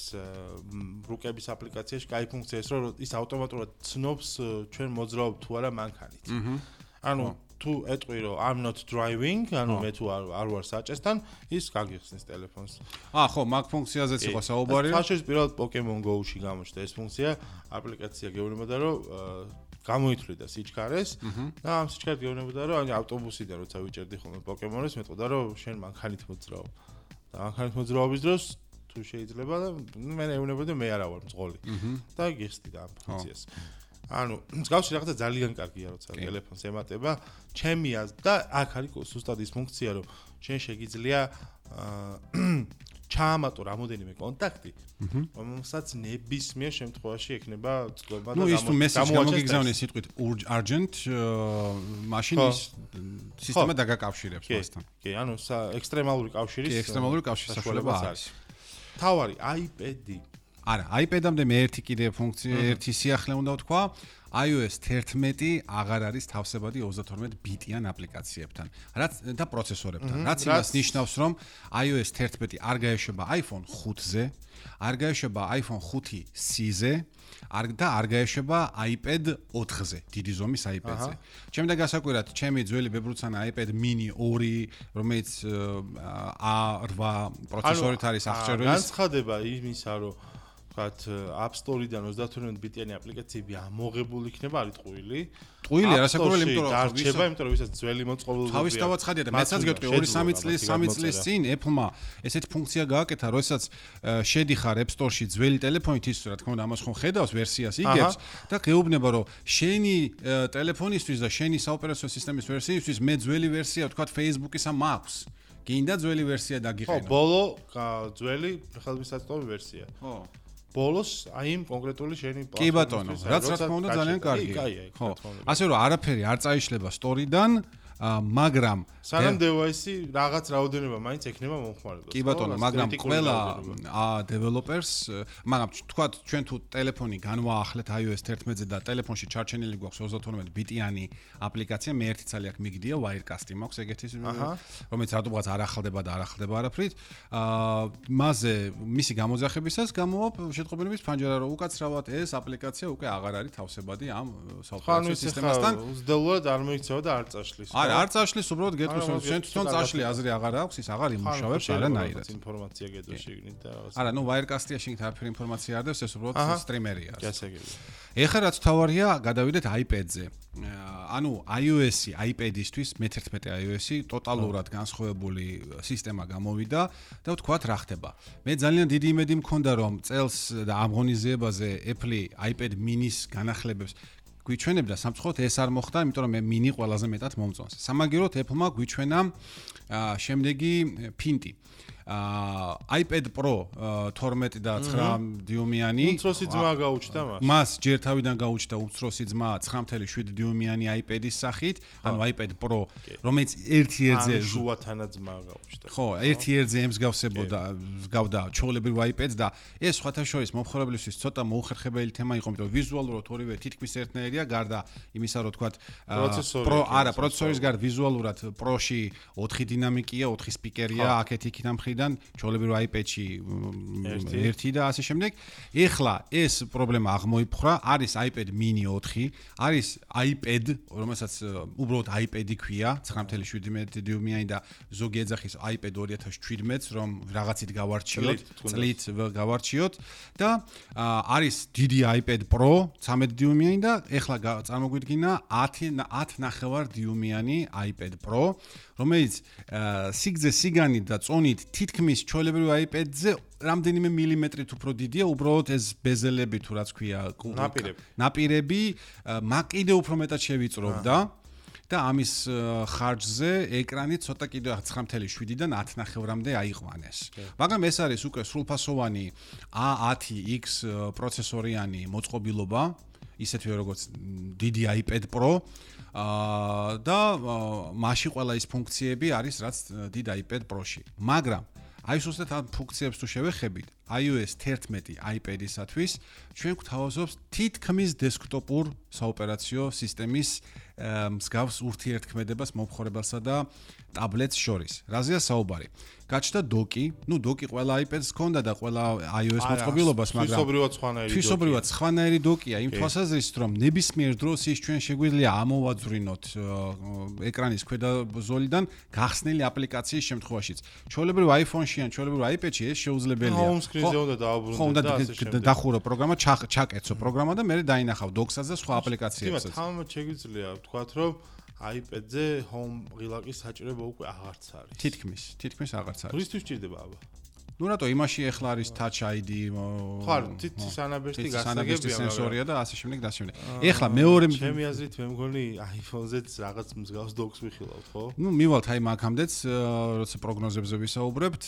რუკების აპლიკაციაში კაი ფუნქცია ეს რომ ის ავტომატურად ცნობს ჩვენ მოძრაობ თუ არა მანქანით. ანუ თუ ეტყვი რომ I'm not driving, ანუ მე თუ არ ვარ საჭესთან, ის გაგიხსნის ტელეფონს. ხო, მაგ ფუნქციაზეც იყო საუბარი. სხვა შორის პირველად Pokemon Go-ში გამოჩნდა ეს ფუნქცია, აპლიკაცია გეუბნებოდა რომ გამოითვლიდა სიჩქარეს და ამ სიჩქარეს გეუბნებოდა რომ ანუ ავტობუსიდან როცა ვიჭერდი ხოლმე პოკემონებს მეტყოდა რომ შენ მანქანით მოძრაობ და მანქანით მოძრაობის დროს თუ შეიძლება და მე ეუბნებოდი მე არა ვარ მძღოლი და გიხსნიდა ამ ფუნქციას ანუ მსგავსი რაღაცა ძალიან კარგია, როცა ტელეფონს ემატება, ჩემი და აქ არის ზუსტად ის ფუნქცია, რომ შენ შეგიძლია ჩაამატო რამოდენიმე კონტაქტი, რომელსაც ნებისმიერ შემთხვევაში ექნება წყობა და ის თუ მესეჯი გამოგიგზავნეს სიტყვით urgent, მაშინ ის სისტემა დაგაკავშირებს მასთან. კი, ანუ ექსტრემალური კავშირის საშუალება არის. თავარი iPad-ი. არა, iPad-ამდე მე ერთი კიდე ფუნქცია, ერთი სიახლე უნდა ვთქვა. iOS 11 აღარ არის თავსებადი 32 ბიტიან აპლიკაციებთან, რაც და პროცესორებთან. რაც იმას ნიშნავს, რომ iOS 11 არ გაეშვება iPhone 5-ზე, არ გაეშვება iPhone 5C-ზე, და არ გაეშვება iPad 4-ზე, დიდი ზომის iPad-ზე. ჩემი და გასაკვირად, ჩემი ძველი ბებრუცანა iPad mini 2, რომელიც A8 პროცესორით არის აღჭერველი. განცხადება იმისა, რომ App Store-დან 32 ბიტიანი აპლიკაციები ამოღებული იქნება, არის ტყუილი. ტყუილი არასაკურველი, იმიტომ რომ დარჩება, იმიტომ რომ ვისაც ძველი მოწყობილობები. თავის დავაცხადია და მეცაც გეტყვი 2-3 წლის წინ Apple-მა ესეთი ფუნქცია გააკეთა, როდესაც შედიხარ App Store-ში ძველი ტელეფონით, ის რა თქმა უნდა ამას ხომ ხედავს ვერსიას იგებს და გეუბნება რომ შენი ტელეფონისთვის და შენი საოპერაციო სისტემის ვერსიისთვის მე ძველი ვერსია ვთქვათ Facebook-ისა მაქვს. გინდა ძველი ვერსია დაგიყენო. ხო, ბოლო ძველი ხელმისაწვდომი ვერსია. ხო. ბოლოს აი იმ კონკრეტული შენი პლატფორმის. კი ბატონო, რაც რა თქმა უნდა ძალიან კარგია. ხო. ასე რომ არაფერი არ წაიშლება Store-დან, მაგრამ სანამ device-ი რაღაც რაოდენობა მაინც ექნება მომხმარებელს. კი ბატონო, მაგრამ ყველა developers, მაგრამ თქვათ ჩვენ თუ ტელეფონი განვაახლეთ iOS 11-ზე და ტელეფონში ჩარჩენილი გვაქვს 32 ბიტიანი აპლიკაცია, მე ერთი ცალი აქ მიგდია Wirecast-ი მაქვს ეგეთი, რომელიც რატომღაც არ ახალდება და არ ახალდება არაფრით. მასზე მისი გამოძახებისას გამოვა შეტყობინების ფანჯარა, რომ უკაცრავად ეს აპლიკაცია უკვე აღარ არის თავსებადი ამ საოპერაციო სისტემასთან. უზდელოდ არ მოიქცევა და არ წაშლის. არ წაშლის, უბრალოდ გეტყვის რომ შენ თვითონ წაშლი აზრი აღარ აქვს, ის აღარ იმუშავებს არანაირად. ინფორმაცია გედო შეგნით და რაღაც. არა, ნუ Wirecast-ია შეგნით არაფერი ინფორმაცია არ დევს, ეს უბრალოდ სტრიმერია. გასაგებია. ეხლა რაც თავარია, გადავიდეთ iPad-ზე. ანუ iOS-ი, iPad-ისთვის მე-11 iOS-ი ტოტალურად განსხვავებული სისტემა გამოვიდა და ვთქვათ რა ხდება. მე ძალიან დიდი იმედი მქონდა რომ წელს და ამ ღონისძიებაზე Apple iPad mini-ს განახლებებს გვიჩვენებდა, სამწუხაროდ ეს არ მოხდა, იმიტომ რომ მე mini ყველაზე მეტად მომწონს. სამაგიეროდ Apple-მა გვიჩვენა შემდეგი ფინტი. iPad Pro 12 და 9 დიუმიანი. უმცროსი ძმა გაუჩნდა მას. მას ჯერ თავიდან გაუჩნდა უმცროსი ძმა 9.7 დიუმიანი iPad-ის სახით, ანუ iPad Pro, რომელიც ერთ-ერთზე შუა თანაძმა გაუჩნდა. ხო, ერთ-ერთზე ემსგავსებოდა, გავდა ჩვეულებრივ iPad-ს და ეს სხვათა შორის მომხმარებლისთვის ცოტა მოუხერხებელი თემა იყო, იმიტომ რომ ვიზუალურად ორივე თითქმის ერთნაირია, გარდა იმისა, რომ თქვათ პროცესორის გარდა ვიზუალურად Pro-ში 4 დინამიკია, 4 სპიკერია, აქეთ-იქით ამ მხრიდან ჩვეულებრივ iPad-ში ერთი და ასე შემდეგ. ეხლა ეს პრობლემა აღმოიფხვრა, არის iPad mini 4, არის iPad, რომელსაც უბრალოდ iPad-ი ქვია, 9.7 დიუმიანი და ზოგი ეძახის iPad 2017-ს, რომ რაღაცით გავარჩიოთ, წლით გავარჩიოთ და არის დიდი iPad Pro 13 დიუმიანი და ეხლა წარმოგვიდგინა 10.9 დიუმიანი iPad Pro, რომელიც სიგრძე სიგანით და წონით თითქმის ჩვეულებრივ iPad-ზე რამდენიმე მილიმეტრით უფრო დიდია, უბრალოდ ეს ბეზელები თუ რაც ქვია, ნაპირები, კიდე უფრო მეტად შევიწროვდა და ამის ხარჯზე ეკრანი ცოტა კიდე 9.7-დან 10.9-მდე აიყვანეს. მაგრამ ეს არის უკვე სრულფასოვანი A10X პროცესორიანი მოწყობილობა, ისეთვე როგორც დიდი iPad Pro და მასში ყველა ის ფუნქციები არის, რაც დიდ iPad Pro-ში. მაგრამ აი ზუსტად ამ ფუნქციებს თუ შევეხებით, iOS 11 iPad-ისათვის ჩვენ გვთავაზობს თითქმის დესკტოპურ საოპერაციო სისტემის მსგავს ურთიერთქმედებას მომხმარებელსა და ტაბლეტს შორის. რაზეა საუბარი? გაჩნდა დოკი, დოკი ყველა iPad-ს ჰქონდა და ყველა iOS მოწყობილობას, მაგრამ თვისობრივად სხვანაირი დოკია, იმ თვალსაზრისით, რომ ნებისმიერ დროს ის ჩვენ შეგვიძლია ამოვაძვრინოთ ეკრანის ქვედა ზოლიდან გახსნილი აპლიკაციის შემთხვევაშიც. ჩვეულებრივ iPhone-ში ან ჩვეულებრივ iPad-ში ეს შეუძლებელია. home screen-ზე უნდა დააბრუნდეთ და ასე შემდეგ. დახურო პროგრამა, ჩაკეცო პროგრამა და მე დაინახავ დოქსაც და სხვა აპლიკაციებსაც. თამამად შეგვიძლია ვთქვათ, რომ iPad-ზე home ღილაკის საჭიროება უკვე აღარც არის. თითქმის აღარც არის. რისთვის ჭირდება აბა? ნუ რატო იმაში ეხლა არის touch ID ხო თითის ანაბეჭდი გასაგებია სენსორია და ასე შემდეგ და ასე შემდეგ. ეხლა მეორე ჩემი აზრით მე მგონი iPhone-ზეც რაღაც მსგავს დოკს ვიხილავთ, ხო? ნუ მივალთ აი მაგამდეც როცა პროგნოზებზე ვისაუბრებთ,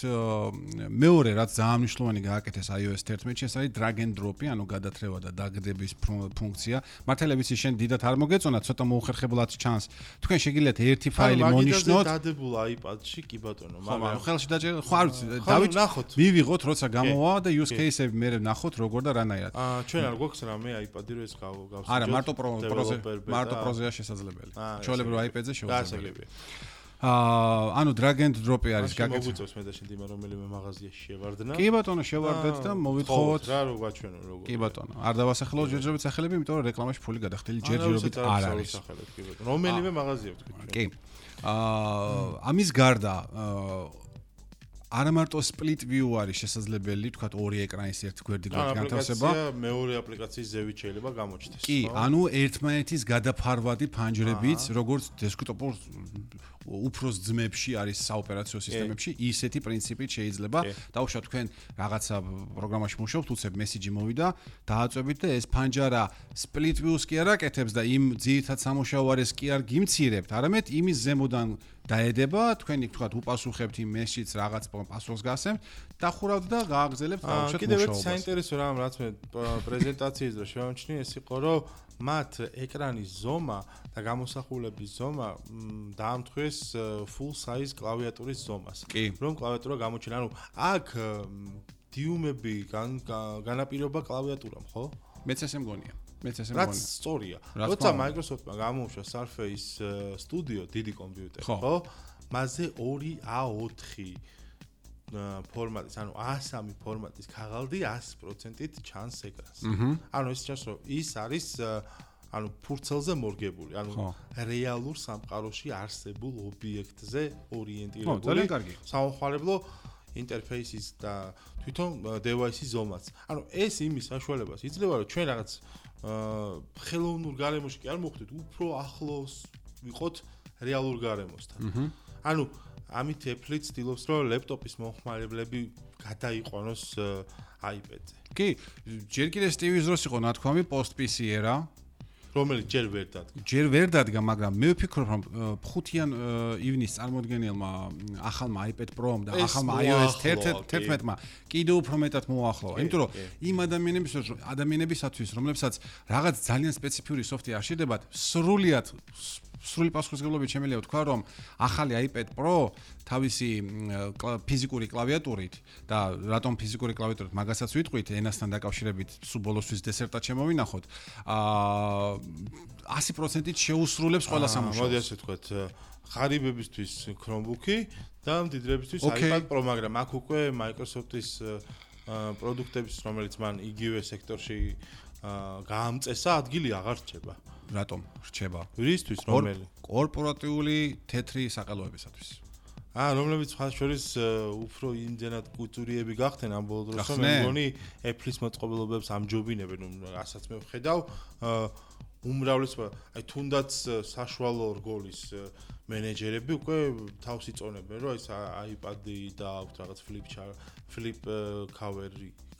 მეორე რაც ძალიან მნიშვნელოვანი გააკეთეს iOS 11-ში, ეს არის drag and drop-ი, ანუ გადათრევა და დაგდების ფუნქცია. მართალია ვიცი შენ დიდად არ მოგეწონა, ცოტა მოუხერხებლად ჩანს. თქვენ შეგიძლიათ ერთი ფაილი მონიშნოთ. დადებულ iPad-ში კი ბატონო, მაგრამ ხელში დაჭერა ხო არ ვიცი, დავით მივიღოთ როცა გამოვა და use case-ები მე ნახოთ როგორ და რანაირად. ჩვენ არ გვაქვს რამე iPad-ი რო ეს გავსაჯოთ. არა, მარტო პროზეა შესაძლებელი. ჩვეულებრივ iPad-ზე შეუძლებელია. ანუ drag and drop-ი არის გაკეთებული. მოგვიწევს მე და შენ დიმა რომელიმე მაღაზიაში შევარდნა. კი ბატონო, შევარდეთ და მოვითხოვოთ. რა რო გაჩვენო როგორ. კი ბატონო, არ დავასახელო ჯერჯერობით სახელები, იმიტომ რომ რეკლამაში ფული გადახდილი ჯერჯერობით არ არის. რომელიმე მაღაზია ვთქვი. კი. ამის გარდა არა მარტო split view არის შესაძლებელი, თქვათ ორი ეკრანის ერთ გვერდიგვერდ განთავსება. მეორე აპლიკაციის ზევით შეიძლება გამოჩნდეს. კი, ანუ ერთმანეთის გადაფარვადი ფანჯრებით, როგორც დესკტოპურ უფროს ძმებში არის საოპერაციო სისტემებში, ისეთი პრინციპით შეიძლება დაუშვათ თქვენ რაღაცა პროგრამაში მუშაობთ, უცებ მესიჯი მოვიდა, დააწვევით და ეს ფანჯარა split view-ს კი არ აკეთებს და იმ ძირითად სამუშაო არის კი არ გიმცირებთ, არამედ იმის ზემოდან დაედება, თქვენი თქვათ უპასუხებთ იმ მესიჯს რაღაც პასუხს გასცემთ, დახურავთ და გააგრძელებთ დაუშვათ მუშაობას. კიდევ ერთი საინტერესო რამ რაც მე პრეზენტაციის დროს შევამჩნიე, ეს იყო რომ მათ ეკრანის ზომა და გამოსახულების ზომა დაამთხვეს full size კლავიატურის ზომას. რომ კლავიატურა გამოჩნდა, ანუ აქ დიუმები განაპირობა კლავიატურამ, ხო? მეც ესე მგონია. რაც სწორია. როცა Microsoft-მა გამოუშვა Surface Studio დიდი კომპიუტერი, ხო? მასზე 2A4 ფორმატის, ანუ A3 ფორმატის ქაღალდი 100%-ით ჩანს ეკრანს. ანუ ეს ჩანს, რომ ის არის ანუ ფურცელზე მორგებული, ანუ რეალურ სამყაროში არსებულ ობიექტზე ორიენტირებული. საომხმარებლო ინტერფეისის და თვითონ device-ის ზომაც. ანუ ეს იმის საშუალებას იძლევა, რომ ჩვენ რაღაც ხელოვნურ გარემოში კი არ მოხვდეთ, უფრო ახლოს ვიყოთ რეალურ გარემოსთან. ანუ ამით Apple ცდილობს, რომ ლეპტოპის მომხმარებლები გადაიყვანოს iPad-ზე. კი, ჯერ კიდე Steve-ის დროს იყო ნათქვამი post PC era, რომელიც ჯერ ვერ დადგა. ჯერ ვერ დადგა, მაგრამ მე ვფიქრობ, რომ 5-იან ივნის წარმოადგენელმა ახალმა iPad Pro-მ და ახალმა iOS 11-მა კიდევ უფრო მეტად მოახლოვა. იმიტომ რომ იმ ადამიანებისათვის, რომლებსაც რაღაც ძალიან სპეციფიური სოფტი არ შედებათ, სრული პასუხისმგებლობით შემიძლია ვთქვა, რომ ახალი iPad Pro თავისი ფიზიკური კლავიატურით და რატომ ფიზიკური კლავიატურით მაგასაც ვიტყვით ენასთან დაკავშირებით სულ ბოლოსთვის დესერტად შემოვინახოთ 100%-ით შეუსრულებს ყველა სამუშაოს. მოდი ასე ვთქვათ, ღარიბებისთვის Chromebook-ი და მდიდრებისთვის iPad Pro, მაგრამ აქ უკვე Microsoft-ის პროდუქტების, რომელიც მან იგივე სექტორში გაამწესა, ადგილი აღარ რჩება. რატომ რჩება? რისთვის რომელი? კორპორატიული თეთრი საყელოებისათვის. რომლებიც ხალხ შორის უფრო იმდენად კულტურიები გახდნენ ამ ბოლო დროს, მე მგონი Apple-ის მოწყობილობებს ამჯობინებენ, რასაც მე ვხედავ, უმრავლესობა, აი თუნდაც საშუალო რგოლის მენეჯერები უკვე თავს იწონებენ, რომ ეს iPad-ი და აქვს რაღაც flip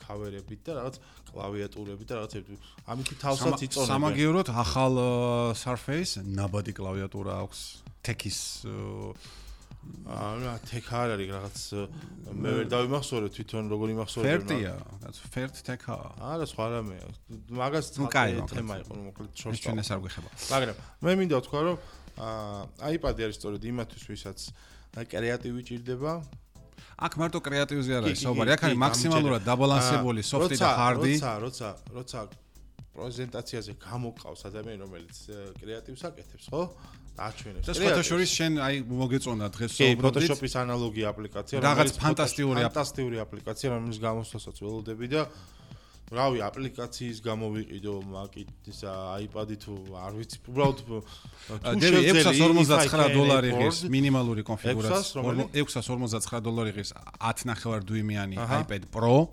cover-ებით და რაღაც კლავიატურები და რაღაცები. ამით თავსაც იწონებენ. სამაგიეროდ ახალ Surface ნაბადი კლავიატურა აქვს Tech-ის რა Tech არ არის რაღაც მე ვერ დავიმახსოვრე თვითონ როგორ იმახსოვრე. Fert-ია, რაც Fert Tech-ა. არა, სხვა რამეა. მაგას თემა იყო, მოკლედ შორს. ჩვენ ეს არ გვეხება. მაგრამ მე მინდა ვთქვა, რომ iPad-ი არის სწორედ იმათვის, ვისაც კრეატივი ჭირდება. აქ მარტო კრეატივზე არ არის საუბარი, აქ არის მაქსიმალურად დაბალანსებული სოფტი და ჰარდი. როცა პრეზენტაციაზე გამოყავს ადამიანი, რომელიც კრეატივს აკეთებს, ხო? დააჩვენებს. და სხვათა შორის შენ აი მოგეწონა დღეს საუბრობდით. Photoshop-ის ანალოგი აპლიკაცია, რაღაც ფანტასტიკური აპლიკაცია, რომელიც გამოსვლასაც ველოდები და რავი, აპლიკაციის გამოვიყიდო მაკით ისა iPad-ი თუ არ ვიცი, უბრალოდ $649 ღირს მინიმალური კონფიგურაცია. $649 ღირს 10.5 დიუმიანი iPad Pro.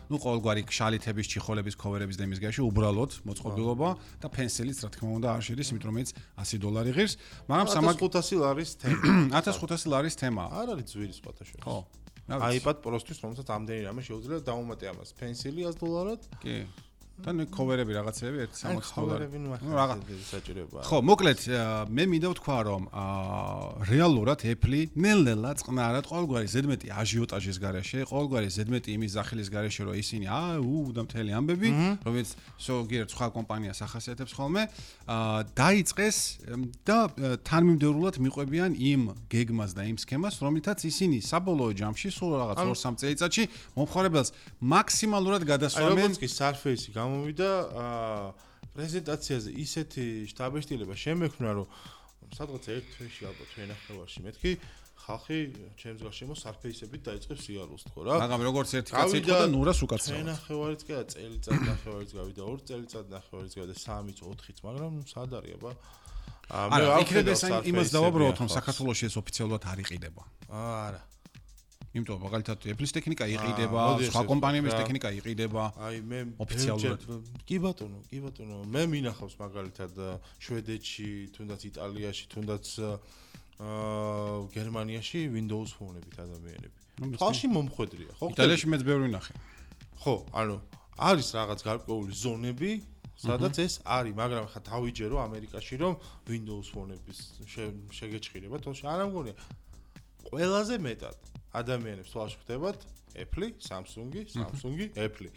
ნუ ყოველგვარი შალითების, ჩიხოლების, ქოვერების და იმის გარეშე უბრალოდ მოწყობილობა და პენსილიც რა თქმა უნდა არ შედის, იმიტომ რომ ეს $100 ღირს, მაგრამ 1500 ლარის თემა. 1500 ლარის თემა. არ არის ძვირი სხვათა შორის. ხო. iPad Pro-თვის, რომელსაც ამდენი რამე შეუძლია დაუმატე ამას. Pencil $100. კი. თან ქოვერები რაღაცები 160 ქოვერები რაღაც საჭიროებაა. ხო, მოკლედ მე მინდა ვთქვა რომ რეალურად Apple ნელ-ნელა წყნარად ყოველგვარი ზედმეტი აჟიოტაჟის გარეშე, ყოველგვარი ზედმეტი იმის ზახილის გარეშე რომ ისინი და მთელი ამბები, რომელიც ზოგიერთ სხვა კომპანიას ახასიათებს ხოლმე, დაიწყეს და თანმიმდევრულად მიყვებიან იმ გეგმას და იმ სქემას, რომლითაც ისინი საბოლოო ჯამში სულ რაღაც 2-3 წელიწადში მომხმარებელს მაქსიმალურად გადასვამენ. აი როგორც კი Surface გამოვიდა პრეზენტაციაზე ისეთი შტაბეშტილება შემექმნა რომ სადღაც ერთ თვეში ალბათ ვენახევარში მეთქი ხალხი ჩემს გარშემო Surface-ებით დაიწყებს რეალურს თქო რა მაგრამ როგორც ერთი კაცი იყო და ნურას უკაცრავად ვენახევარიც კი არა წელიწად ნახევარიც გავიდა 2 წელიწად ნახევარიც გავიდა 3-იც 4-იც მაგრამ სად არის აბა მე იქნება იმას დავაბრალოთ რომ საქართველოში ეს ოფიციალურად არ იყიდება არა იმიტომ მაგალითად Apple-ის ტექნიკა იყიდება, სხვა კომპანიების ტექნიკა იყიდება. აი მე ოფიციალურად. კი ბატონო, მე მინახავს მაგალითად შვედეთში, თუნდაც იტალიაში, თუნდაც გერმანიაში Windows Phone-ებით ადამიანები. თვალში მომხვედრია, ხო? იტალიაში მეც ბევრი ნახე. ხო, ანუ არის რაღაც გარკვეული ზონები, სადაც ეს არის, მაგრამ ხა თავიჯერო ამერიკაში რომ Windows Phone-ების შეგეჭირება, თორე არ ამგონია. ყველაზე მეტად ადამიანებს თვალში ხდებათ Apple, Samsung, Apple.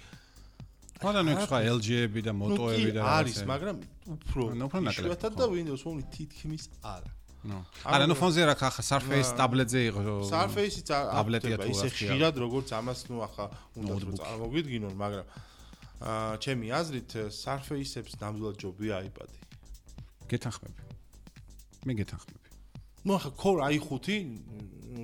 მაგრამ ეს სხვა LG-ები და Moto-ები და არის, მაგრამ უფრო ნაკლებ და Windows Phone თითქმის არა. არა, ნუ ფონზე რა ხა Surface ტაბლეტზე იყო. Surface-იც ტაბლეტია თუ ისე ხშირად როგორც ამას ნუ ახლა უნდა წარმოვიდგინონ, მაგრამ ჩემი აზრით Surface-ებს ნამდვილად ჯობია iPad-ი. გეთანხმები. მე გეთანხმები. ნუ ახლა Core i5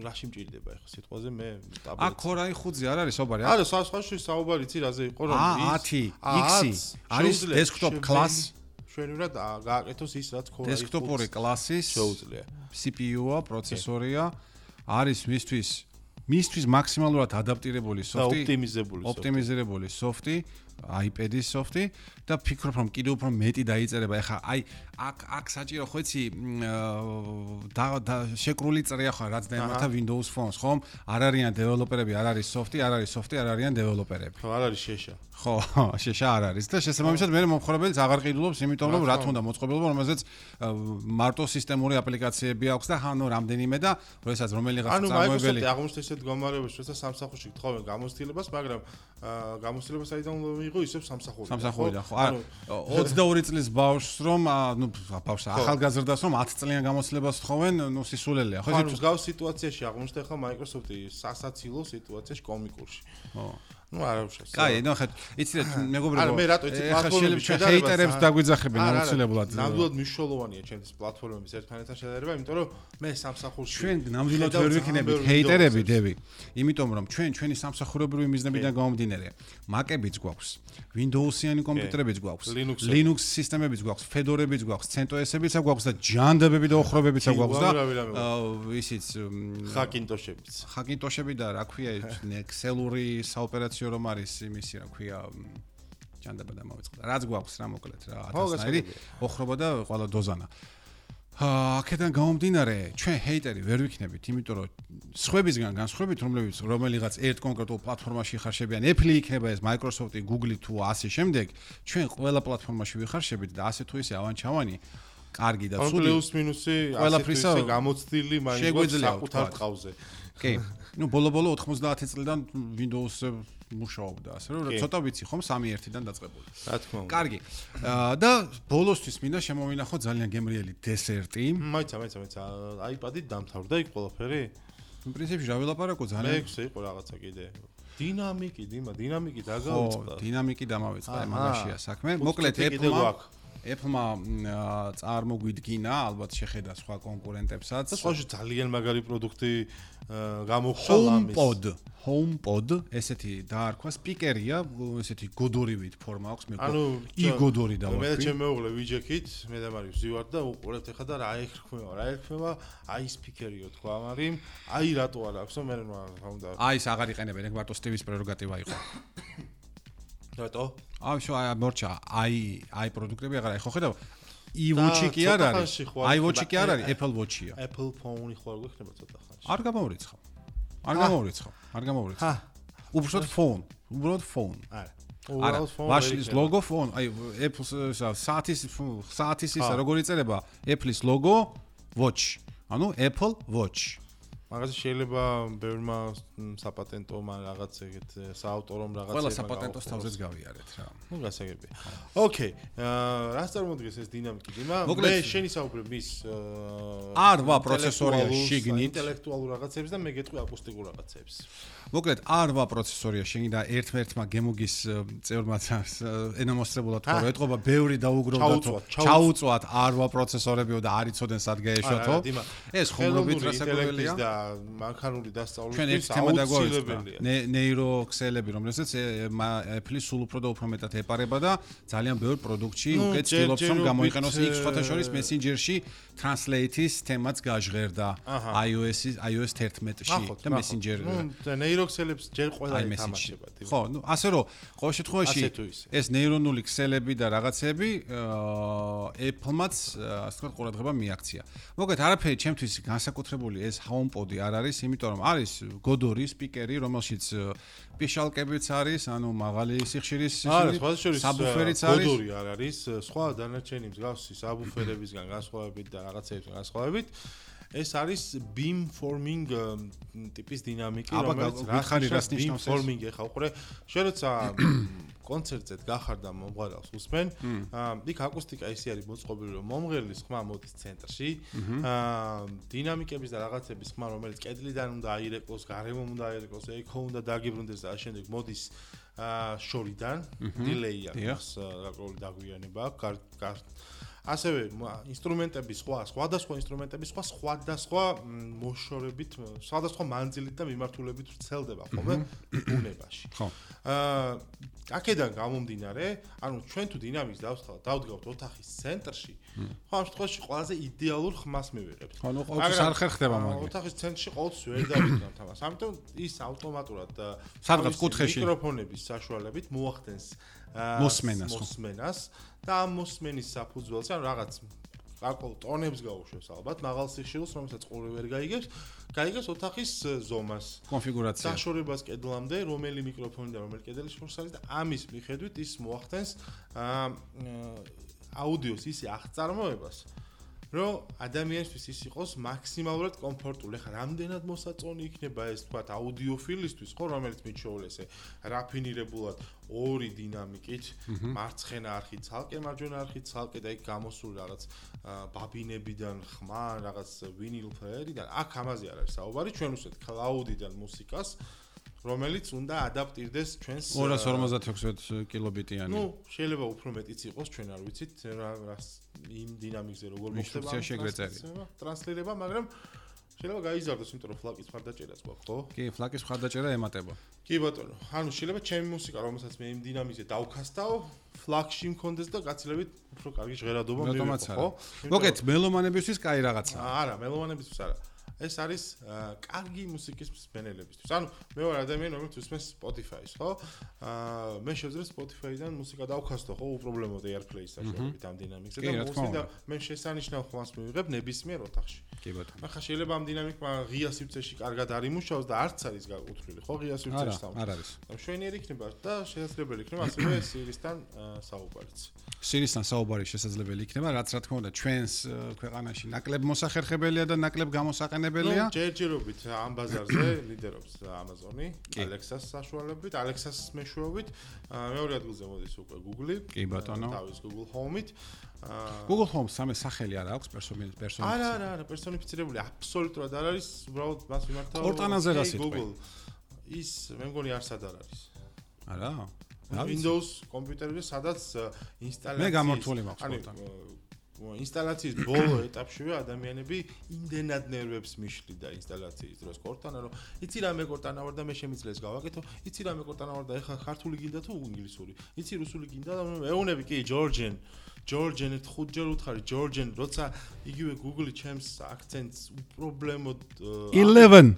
რაში მჭირდება ახლა სიტყვაზე მე ტაბლეტი. Core i5-ზე არ არის საუბარი? არა, სხვა საუბარი ცი რაზე იყო რომ ის 10X არის desktop class ჩვენურად გააკეთოს ის რაც Core i5 desktop-ური კლასის შეუძლია. CPU-ა, პროცესორია, არის მისთვის მაქსიმალურად ადაპტირებული სოფტი, ოპტიმიზირებული სოფტი, iPad-ის სოფტი და ფიქრობ რომ კიდევ უფრო მეტი დაიწერება. ეხლა აი აქ საჭირო ხო იცი შეკრული წრეა ხო რაც დაემართა Windows Phone-ს, ხომ? არ არიან დეველოპერები, არ არის სოფტი, არ არიან დეველოპერები. ხო, არ არის შეშა. ხო, შეშა არ არის და შესაბამისად მე მომხმარებელს აღარ ყიდულობს, იმიტომ რომ რა თქმა უნდა მოწყობილობა, რომელზეც მარტო სისტემური აპლიკაციები აქვს და ხანო რამდენიმე და როდესაც რომელიღაც წარმოებელი აღმოჩნდა ესეთ გამარებაში, როცა სამსახურში გთხოვენ გამოცდილებას, მაგრამ გამოცდილება საიდან უნდა მიიღო ისევ სამსახურიდან. სამსახურიდან ხო. არა 22 წლის ბავშვს რომ ნუ ბავშვს ახალგაზრდას რომ 10 წლიან გამოცდილებას თხოვენ, ნუ სისულელეა. ხო, ეს მსგავს სიტუაციაში აღმოჩნდა ხა Microsoft-ი სასაცილო სიტუაციაში კომიკურში. ხო. ნუ არა უშავს. კაი, ნუ ხეთ, იცი მეგობრებო. არა, მე რატო იცი პლატფორმების შედარება. ჰეიტერებს დაგვიძახებენ აუცილებლად. ნამდვილად მნიშვნელოვანია ჩემთვის პლატფორმების ერთმანეთთან შედარება, იმიტომ რომ მე სამსახურში ჩვენ ნამდვილად ვერ ვიქნებით ჰეიტერები, დები. იმიტომ რომ ჩვენი სამსახურებრივი მიზნებიდან გამომდინარე, Mac-ებიც გვაქვს, Windows-იანი კომპიუტერებიც გვაქვს, Linux სისტემებიც გვაქვს, Fedora-ებიც გვაქვს, CentOS-ებიც გვაქვს და ჯანდაბები და ოხრობებიც გვაქვს და ისიც Hackintosh-ები და რა ქვია Excel-ური საოპერაციო რომ არის იმისი რა ქვია ჯანდაბა და მოვიწყდა. რაც გვაქვს რა მოკლედ რა 1000-ნაირი ოხრობა და ყველა დოზანა. აქედან გამომდინარე, ჩვენ ჰეიტერი ვერ ვიქნებით, იმიტომ რომ სხვებისგან განსხვავებით, რომელიღაც ერთ კონკრეტულ პლატფორმაში ხარშებიან, Apple იქნება ეს, Microsoft-ი, Google-ი თუ ასე შემდეგ, ჩვენ ყველა პლატფორმაში ვიხარშებით და ასე თუ ისე ავანჩავანი, კარგი და ცუდი. პლუს მინუსი, ყველაფრისა გამოცდილი მაინც საკუთარ ტყავზე. კი. ნუ ბოლო-ბოლო 90 წლიდან Windows მუშაობდა, ასე რომ ცოტა ვიცი ხომ 3.1-დან დაწყებული. რა თქმა უნდა. კარგი. და ბოლოსთვის მინდა შემოვინახო ძალიან გემრიელი დესერტი. მაიცა, iPad-ით დამთავრდა იქ ყველაფერი? პრინციპში რა ვილაპარაკო ძალიან. მეექვსე იყო რაღაცა კიდე. დინამიკი დაგავიწყდა. დინამიკი დამავიწყდა, მაგაშია საქმე. მოკლედ Apple-მა წარმოგვიდგინა, ალბათ შეხედა სხვა კონკურენტებსაც. და სხვაში ძალიან მაგარი პროდუქტი გამოხვალ ამის. HomePod, ესეთი დაარქვა სპიკერია, ესეთი გოდორივით ფორმა აქვს, მე იგოდორი დავარქვი. მე ჩემ მეუღლე ვიჯექით, მე და მარი ვზივართ და უყურებთ ეხა და რა ერქმევა, აი სპიკერიო თქვა მარი, აი რატო არ აქვს, მე რა უნდა. აი ეს აღარ იყენებენ, ეგ მარტო სტივის პრეროგატივა იყო. რატო? მორჩა, აი პროდუქტები აღარ ხო ხედავ? iWatch-ი კი არ არის. iWatch-ი კი არ არის, Apple Watch-ია. Apple Phone-ი ხო არ გვექნება ცოტა ხანში. არ გამოვრიცხავ. არ გამოვრიცხო. უბრალოდ phone. არა, ვაშლის logo phone. აი, Apple-ს საათის ისა როგორ იწერება? Apple-ის logo watch. ანუ Apple Watch. მაგაზე შეიძლება ბევრმა საპატენტო რაღაც ეგეთ საავტორო რაღაცა ყველა საპატენტოს თავზეც გავიარეთ რა. ნუ გასაგებია. ოკეი. რას წარმოადგენს ეს დინამიკი? მე შენი საუბრებ მის R8 პროცესორია შიგნით ინტელექტუალურ რაღაცებს და მე გეტყვი აკუსტიკურ რაღაცებს. მოკლედ R8 პროცესორია შიგნით და ერთ-ერთმა გემუგის წევრმა ენამოსწრებულად თქო რომ ეთყობა ბევრი დაუგროვდა ჩაუწვათ R8 პროცესორებიო და არ იცოდნენ სად გაეშვათო. ეს ხუმრობით რასაკურველია და მანქანური დასწავლისთვის ჩვენ ერთ თემა დაგვაუწყდა ნეიროქსელები რომელსაც Apple-ი სულ უფრო და უფრო მეტად ეპარება და ძალიან ბევრ პროდუქტში უკვე ცდილობს რომ გამოიყენოს X ფოტოშორის Messenger-ში Translate-ის თემაც გაჟღერდა iOS 11-ში და Messenger ნეიროქსელებს ჯერ ყველა ეთამაშება. ხო, ნუ ასე რომ ყოველ შემთხვევაში ეს ნეირონული ქსელები და რაღაცები Apple-მაც ასე ვთქვათ ყურადღება მიაქცია. მოკლედ არაფერი ჩემთვის განსაკუთრებული ეს HomePod-ი არ არის, იმიტომ რომ არის Godori სპიკერი, რომელშიც პიშალკებიც არის, ანუ მაღალი სიხშირის საბუფერიც არის. Godori არ არის, სხვა დანარჩენი მსგავსი საბუფერებისგან განსხვავებით და რაღაცეებისგან განსხვავებით. ეს არის beamforming ტიპის დინამიკი, რომელიც რას ნიშნავს beamforming ეხა უყურე, შენ როცა კონცერტზე გახარ და მომღერალს უსმენ, იქ აკუსტიკა ისე არის მოწყობილი, რომ მომღერლის ხმა მოდის ცენტრში, დინამიკების და რაღაცების ხმა, რომელიც კედლიდან უნდა აირეკლოს, გარემო უნდა აირეკლოს, ეკო უნდა დაგიბრუნდეს და შემდეგ მოდის შორიდან, delay აქვს, გარკვეული დაგვიანება აქვს, ასევე ინსტრუმენტების სხვადასხვა ინსტრუმენტების სხვადასხვა მოშორებით, სხვადასხვა მანძილით და მიმართულებით ვრცელდება ხოლმე ბუნებაში. ხო. აქედან გამომდინარე, ანუ ჩვენ თუ დინამიკს დავდგავთ ოთახის ცენტრში, ხო ამ შემთხვევაში ყველაზე იდეალურ ხმას მივიღებთ. ხო, ნუ ყოველთვის არ ხერხდება მაგით. ოთახის ცენტრში ყოველთვის ვერ დავიდგამთ ამას. ამიტომ ის ავტომატურად სადღაც კუთხეში მიკროფონების საშუალებით მოახდენს მოსმენას და ამ მოსმენის საფუძველზე ან რაღაც გარკვეულ ტონებს გაუშვებს ალბათ მაღალ სიხშირულს რომელსაც ყური ვერ გაიგებს ოთახის ზომას კონფიგურაცია დაშორებას კედლამდე რომელი მიკროფონი და რომელი კედელი შორს არის და ამის მიხედვით ის მოახდენს აუდიოს ისე აღწარმოებას რომ ადამიანისთვის ის იყოს მაქსიმალურად კომფორტული. ხა რამდენად მოსაწონი იქნება ეს თქვათ აუდიოფილისთვის, ხო, რომელიც მიჩვეულესე რაფინირებულად ორი დინამიკით, მარცხენა არხი ცალკე, მარჯვენა არხი ცალკე და იქ გამოსული რაღაც ბაბინებიდან ხმა, რაღაც ვინილ ფლეერიდან. აქ ამაზე არ არის საუბარი, ჩვენ უსვეთ cloud-დან მუსიკას, რომელიც უნდა ადაპტირდეს ჩვენს 256 კილობიტიანი. ნუ, შეიძლება უფრო მეტიც იყოს, ჩვენ არ ვიცით რა იმ დინამიკზე როგორ მოხდება ტრანსლირება, მაგრამ შეიძლება გაიზარდოს, იმიტომ რომ ფლაკის მხარდაჭერაც გვაქვს, ხო? კი, ფლაკის მხარდაჭერა ემატება. კი ბატონო, ანუ შეიძლება ჩემი მუსიკა, რომელსაც მე იმ დინამიკზე დავქასთავ, ფლაკში მქონდეს და გაცილებით უფრო კარგი ჟღერადობა მივიღო, ხო? მოგეთ მელომანებისთვის კაი რაღაცა. არა, მელომანებისთვის არა. ეს არის კარგი მუსიკის მსმენელებისთვის. ანუ მე ვარ ადამიანი, რომელიც უსმენს Spotify-ს, ხო? მე შევძლებთ Spotify-დან მუსიკა დავქასტო, ხო, უპრობლემოდ AirPlay-ის საშუალებით ამ დინამიკზე და მუსიკა და მე შესანიშნავ ხმას მივიღებ ნებისმიერ ოთახში. კი ბატონო. ახლა შეიძლება ამ დინამიკმა ღია სივრცეში კარგად არ იმუშაოს და არც არის გაკუთვნილი, ხო, ღია სივრცეში სამს. არ არის. მშვენიერი იქნება და შესაძლებელი იქნება ასევე Siri-სთან საუბარიც. Siri-სთან საუბარი შესაძლებელი იქნება, რაც რა თქმა უნდა ჩვენს ქვეყანაში ნაკლებ მოსახერხებელია და ნაკლებ გამოსაყენებელია. ჯერჯერობით ამ ბაზარზე ლიდერობს Amazon-ი, Alexa-ს საშუალებით, Alexa-ს მეშვეობით, მეორე ადგილზე მოდის უკვე Google-ი, კი ბატონო, თავის Google Home-ით. Google Home სამე სახელი არ აქვს პერსონიფიცირებული. არა, პერსონიფიცირებული აბსოლუტურად არ არის, უბრალოდ მას მიმართავ Cortana-ზე რა სიტყვი? Google. ის მე მგონი არსად არ არის. არა? Windows კომპიუტერზე სადაც ინსტალაცია მე გამორთული მაქვს Cortana. ინსტალაციის ბოლო ეტაპშივე ადამიანები იმდენად ნერვებს მიშლიდა ინსტალაციის დროს Cortana, რომ იცი რა მე Cortana ვარ და მე შემიძლია გავაკეთო, იცი რა მე Cortana ვარ და ეხლა ქართული გინდა თუ ინგლისური, იცი რუსული გინდა და ეუნები კი Georgian ჯორჯენ ერთ 5 ჯერ უთხარი ჯორჯენ როცა იგივე Google ჩემს აქცენტს უპრობლემოდ 11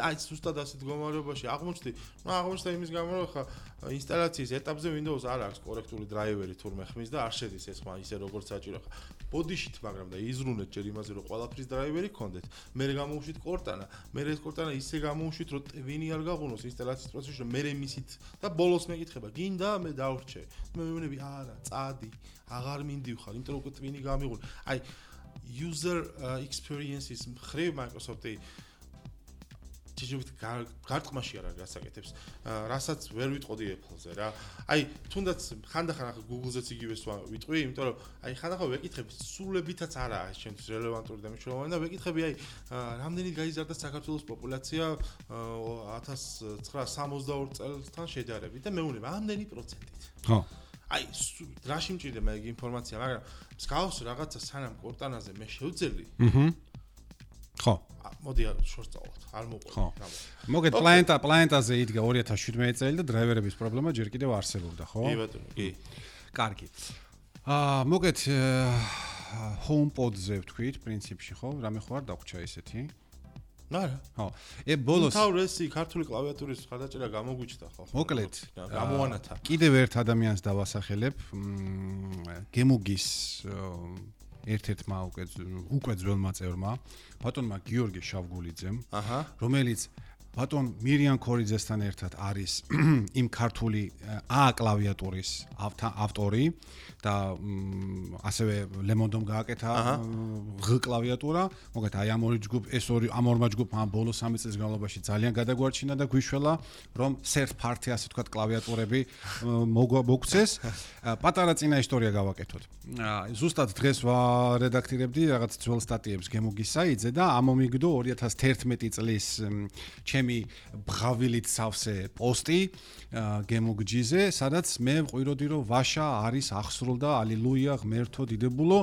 აი ზუსტად ასეთ მდგომარეობაში აღმოჩნდა იმის გამო რომ ხა ინსტალაციის ეტაპზე Windows არ აქვს კორექტული დრაივერი თურმე ხმის და არ შედის ეს ხმა ისე როგორც საჭირო ხა ბოდიშით მაგრამ და იზრუნეთ ჯერ იმაზე რომ ყველაფრის დრაივერი გქონდეთ მე გამოვუშვით კორტანა მე ეს კორტანა ისე გამოვუშვით რომ ტვინი არ გაღუნოს ინსტალაციის პროცესში რომ მე მისით და ბოლოს მეკითხება გინდა მე დავრჩე მე მივინები არა წადი აღარ მინდივხარ იმიტომ რომ ტვინი გამიღული აი user experiences მხრივ Microsoft-ი გარტყმაში არ არის გასაკეთებს რასაც ვერ ვიტყოდი Apple-ზე რა აი თუნდაც ხანდახან ახლა Google-ზეც იგივეს ვიტყვი იმიტომ რომ აი ხანდახან ვეკითხები სულებითაც არაა ეს ჩემთვის რელევანტური და მნიშვნელოვანი და ვეკითხები აი რამდენით გაიზარდა საქართველოს პოპულაცია 1962 წელთან შედარებით და მეუბნება ამდენი პროცენტით ხო აი რაში მჭირდება მე ეგ ინფორმაცია მაგრამ მსგავს რაღაცა სანამ კორტანაზე მე შევძელი ხო მოდი შორს წავალთ არ მოყვება მოგეთ პლანეტაზე იდგა 2017 წელი და დრაივერების პრობლემა ჯერ კიდევ არსებობდა ხო კი ბატონო კი კარგი მოგეთ HomePod-ზე ვთქვით პრინციპში ხო რამე ხო არ დაგვრჩა ესეთი არა ხო ბოლოს თავრესი ქართული კლავიატურის ხარდაჭერა გამოგვიჩნდა ხო მოკლედ გამოანათა კიდევ ერთ ადამიანს დავასახელებ გემუგის ერთ-ერთმა უკვე ძველმა წევრმა ბატონმა გიორგი შავგულიძემ რომელიც ბატონ მირიან ქორიძესთან ერთად არის იმ ქართული A კლავიატურის ავტორი და ასევე ლემონდომ გააკეთა G კლავიატურა მოგეთ აი ამ ორმა ჯგუფმა ბოლო 3 წლის განმავლობაში ძალიან გადაგვარჩინა და გვიშველა რომ third party ასე ვთქვათ კლავიატურები მოგცეს პატარა წინა ისტორია გავაკეთოთ ზუსტად დღეს ვარედაქტირებდი რაღაც ძველ სტატიებს გემუგის საიტზე და ამომიგდო 2011 წლის ჩემი ბღავილით სავსე პოსტი გემუგჯიზე სადაც მე ვყვიროდი რომ ვაშა არის ახსრულდა ალილუია ღმერთო დიდებულო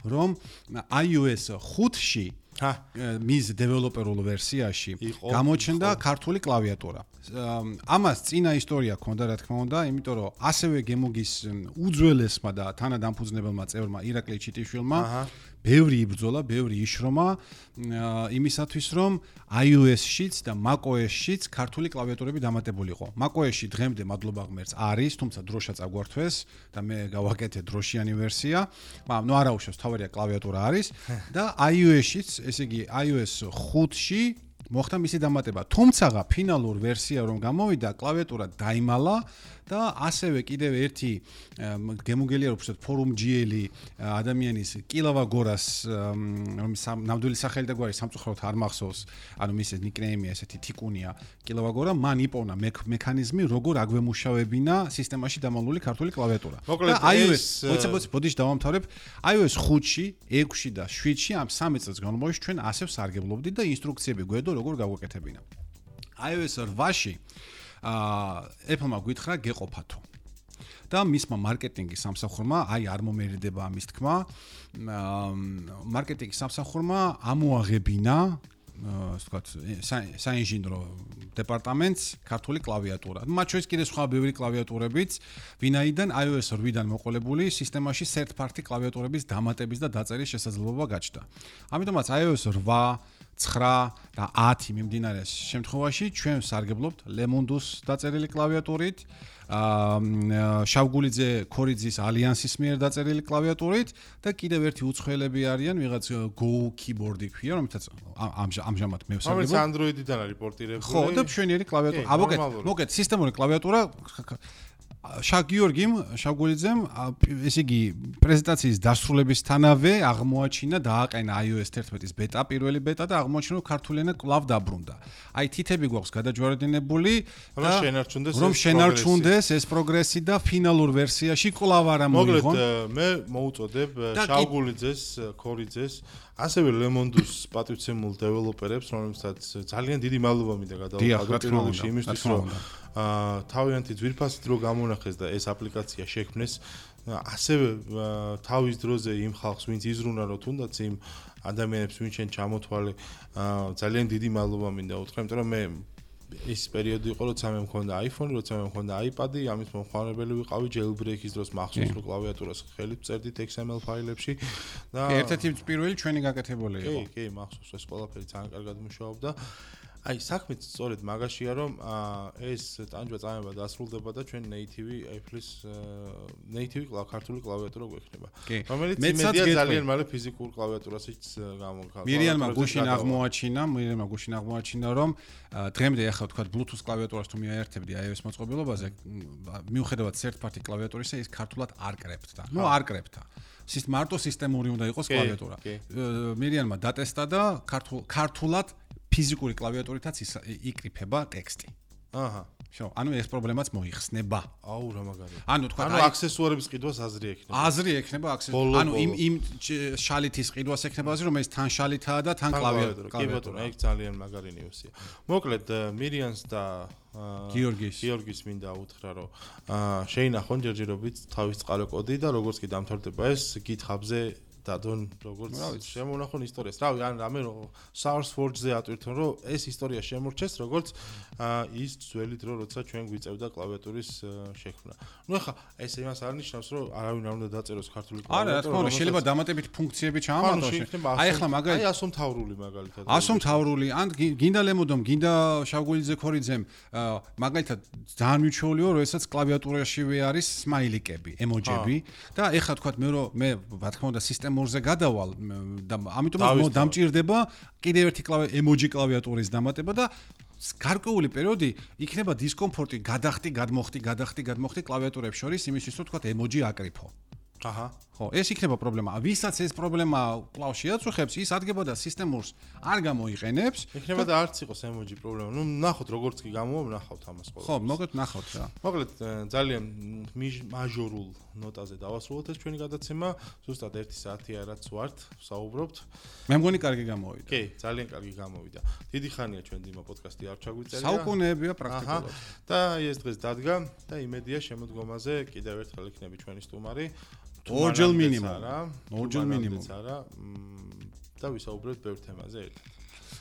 რომ iOS 5-ში მის დეველოპერულ ვერსიაში გამოჩნდა ქართული კლავიატურა. ამას წინა ისტორია ქონდა რა თქმა უნდა, იმიტომ რომ ასევე გემუგის უძველესმა და თანადამფუძნებელმა წევრმა ირაკლი ჩიტიშვილმა ბევრი იბრძოლა, ბევრი იშრომა იმისათვის რომ iOS-შიც და macOS-შიც ქართული კლავიატურები დამატებულიყო. macOS-ში დღემდე მადლობა ღმერთს არის, თუმცა დროშა წაგვართვეს და მე გავაკეთე დროშიანი ვერსია. მაგრამ ნუ არა უშავს, თავარია კლავიატურა არის და iOS-შიც, ესე იგი iOS 5-ში მოხდა მისი დამატება. თუმცა ფინალურ ვერსია რომ გამოვიდა, კლავიატურა დაიმალა და ასევე კიდევ ერთი გემუგელია უბრალოდ ფორუმ-ჯიელი ადამიანის კილავა გორას რომის ნამდვილი სახელი და გვარი სამწუხაროდ არ მახსოვს, ანუ მის ნიკნეიმი ესეთი თიკუნია კილავა გორა, მან იპოვნა მექანიზმი როგორ აგვემუშავებინა სისტემაში დამალული ქართული კლავიატურა. და iOS ბოდიში დავამთავრებ, iOS 5-ში, 6-ში და 7-ში ამ 3 წელს განმავლობაში ჩვენ ასე ვსარგებლობდით და ინსტრუქციები გვედო როგორ გაგვეკეთებინა. iOS 8-ში Apple-მა გითხრა გეყოფათო. და მისმა მარკეტინგის სამსახურმა, აი არ მომერიდება ამის თქმა, მარკეტინგის სამსახურმა ამოაღებინა, ასე ვთქვათ, საინჟინრო დეპარტამენტს ქართული კლავიატურა. მათ შორის კიდევ სხვა ბევრი კლავიატურებიც, ვინაიდან iOS 8-დან მოყოლებული სისტემაში third party კლავიატურების დამატების და დაწერის შესაძლებლობა გაჩნდა. ამიტომაც iOS 8 9 და 10 მიმდინარე შემთხვევაში ჩვენ ვსარგებლობთ ლემონდუს დაწერილი კლავიატურით, შავგულიძე ქორიძის ალიანსის მიერ დაწერილი კლავიატურით და კიდევ ერთი უცხოელები არიან, ვიღაც Go keyboard-ი ქვია, რომელსაც ამჟამად მე ვსარგებლობ. რომელიც Android-დან არის პორტირებული. ხო, და მშვენიერი კლავიატურა. მოგეთ, სისტემური კლავიატურა გიორგიმ შავგულიძემ ესე იგი პრეზენტაციის დასრულებისთანავე აღმოაჩინა და აყენა iOS 11-ის ბეტა, პირველი ბეტა და აღმოაჩინა რომ ქართული ენა კვლავ დაბრუნდა. აი თითები გვაქვს გადაჯვარედინებული და რომ შენარჩუნდეს ეს პროგრესი და ფინალურ ვერსიაში კვლავ არ ამოიღონ. მოგეთ, მე მოუწოდებ შავგულიძეს, ქორიძეს, ასევე ლემონდუს პატივცემულ დეველოპერებს, რომლებსაც ძალიან დიდი მადლობა მინდა გადავუხადოთ პირველში იმისთვის, რომ თავიანთი ძვირფასით რო გამონახეს და ეს აპლიკაცია შექმნეს, ასევე თავის დროზე იმ ხალხს, ვინც იზრუნა რომ თუნდაც იმ ადამიანებს ვინც ჩვენ ჩამოთვალე, ძალიან დიდი მადლობა მინდა უთხრა, იმიტომ რომ მე ის პერიოდი იყო, როცა მე მქონდა iPhone, როცა მე მქონდა iPad-ი, ამის მომხმარებელი ვიყავი jailbreak-ის დროს მახსოვს, რომ კლავიატურას ხელით წერდით XML ფაილებში და ერთ-ერთი პირველი ჩვენი გაკეთებული იყო. კი, მახსოვს, ეს ყველაფერი ძალიან კარგად მუშაობდა. აი, საქმეც სწორედ მაგაშია, რომ ეს ტანჯვა წამება დასრულდება და ჩვენ native ქართული კლავიატურა გვექნება. რომელიც იმედია ძალიან მალე ფიზიკურ კლავიატურასაც გამოგხავ. მირიანმა გუშინ აღმოაჩინა, რომ დღემდე ახლა თქვა Bluetooth კლავიატურას თუ მიაერთებდი iOS მოწყობილობაზე, მიუხედავად third party კლავიატურისა, ის ქართულად არ კრებდა. არ კრებდა. მარტო სისტემური უნდა იყოს კლავიატურა. მირიანმა დატესტა და ქართულად ფიზიკური კლავიატურითაც იკრიფება ტექსტი. აჰა. შო, ანუ ეს პრობლემაც მოიხსნება. აუ, რა მაგარია. ანუ თქვა, ანუ აქსესუარების ყიდვას აზრი ექნება. აზრი ექნება აქსესუარი. ანუ იმ შალითის ყიდვას ექნება აზრი, რომ ეს თან შალითაა და თან კლავიატურა. კი ბატონო, ეგ ძალიან მაგარი ნიუსია. მოკლედ, მირიანს და გიორგის მინდა უთხრა, რომ შეინახონ ჯერჯერობით თავის წყარო კოდი და როგორც კი დამთავრდება ეს GitHub-ზე დადონ როგორც შემონახონ ისტორიას. რავი, ან რამე SourceForge-ზე ატვირთონ, რომ ეს ისტორია შემორჩეს, როგორც ის ძველი დრო, როცა ჩვენ გვიწევდა კლავიატურის შექმნა. ნუ ახლა ეს იმას არ ნიშნავს, რომ არავინ არ უნდა დაწეროს ქართული კლავიატურა. არა, რა თქმა უნდა, შეიძლება დამატებით ფუნქციები ჩაამატოს. აი ახლა მაგალითად, აი ასომთავრული მაგალითად. ასომთავრული, ან გინდა ლემოდომ, გინდა შავგულიძე ქორიძემ, მაგალითად ძალიან მიჩვეულია, რომ ესაც კლავიატურაშივე არის სმაილიკები, ემოჯები და ეხლა თქვა მე რა თქმა უნდა სისტემურზე გადავალ და ამიტომ დამჭირდება კიდევ ერთი ემოჯი კლავიატურის დამატება და გარკვეული პერიოდი იქნება დისკომფორტი, გადახტი, გადმოხტი კლავიატურებს შორის იმისთვის, რომ თქვა ემოჯი აკრიფო. აჰა. ხო, ეს იქნება პრობლემა. ვისაც ეს პრობლემა კვლავ შეაწუხებს, ის ადგება და სისტემურს არ გამოიყენებს. იქნება და არც იყოს ემოჯი პრობლემა. ნუ ნახოთ როგორც კი გამოვა, ნახავთ ამას ყოველთვის. ხო, მოკლედ ნახავთ რა. მოკლედ ძალიან მაჟორულ ნოტაზე დავასრულოთ ეს ჩვენი გადაცემა. ზუსტად 1 საათია რაც ვართ, საუბრობთ. მე მგონი კარგი გამოვიდა. კი, ძალიან კარგი გამოვიდა. დიდი ხანია ჩვენ დიმა პოდკასტი არ ჩაგვიწერია. საუკუნეებია პრაქტიკულად. და ეს დღეს დადგა და იმედია შემოდგომაზე კიდევ ერთხელ იქნება ჩვენი სტუმარი. ორჯერ მინიმუმ. არა. და ვისაუბრებთ ბევრ თემაზე ერთად.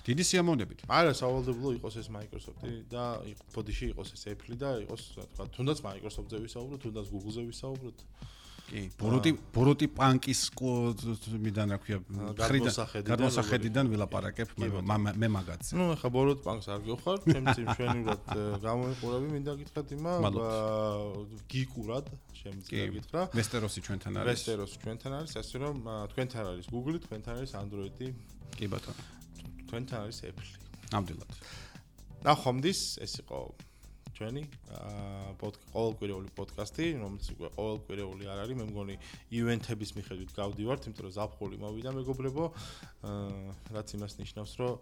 დიდი სიამოვნებით. არა, სავალდებულო იყოს ეს Microsoft-ი და ბოდიში იყოს ეს Apple-ი და იყოს, თქვა, თუნდაც Microsoft-ზე ვისაუბროთ, თუნდაც Google-ზე ვისაუბროთ. კი, ბოროტი პანკის მიდან რა ქვია, გადმოსახედიდან ვილაპარაკებ მე მაგაცზე. ნუ ახლა ბოროტ პანკს არ გიხარ, ჩემს იმშვენივრად გამოიყურები, მინდა გითხრათ იმა გიკურად, შემიძლია გითხრა. ვესტეროსი ჩვენთან არის. ვესტეროსი ჩვენთან არის, ასე რომ თქვენთან არის Google-ი, თქვენთან არის Android-ი. კი ბატონო. თქვენთან არის Apple-ი. ნამდვილად. ნახვამდის, ეს იყო ჩვენი ყოველკვირეული პოდკასტი, რომელიც უკვე ყოველკვირეული არ არის, მე მგონი ივენთების მიხედვით გავდივართ, იმიტომ რომ ზაფხული მოვიდა მეგობრებო, რაც იმას ნიშნავს, რომ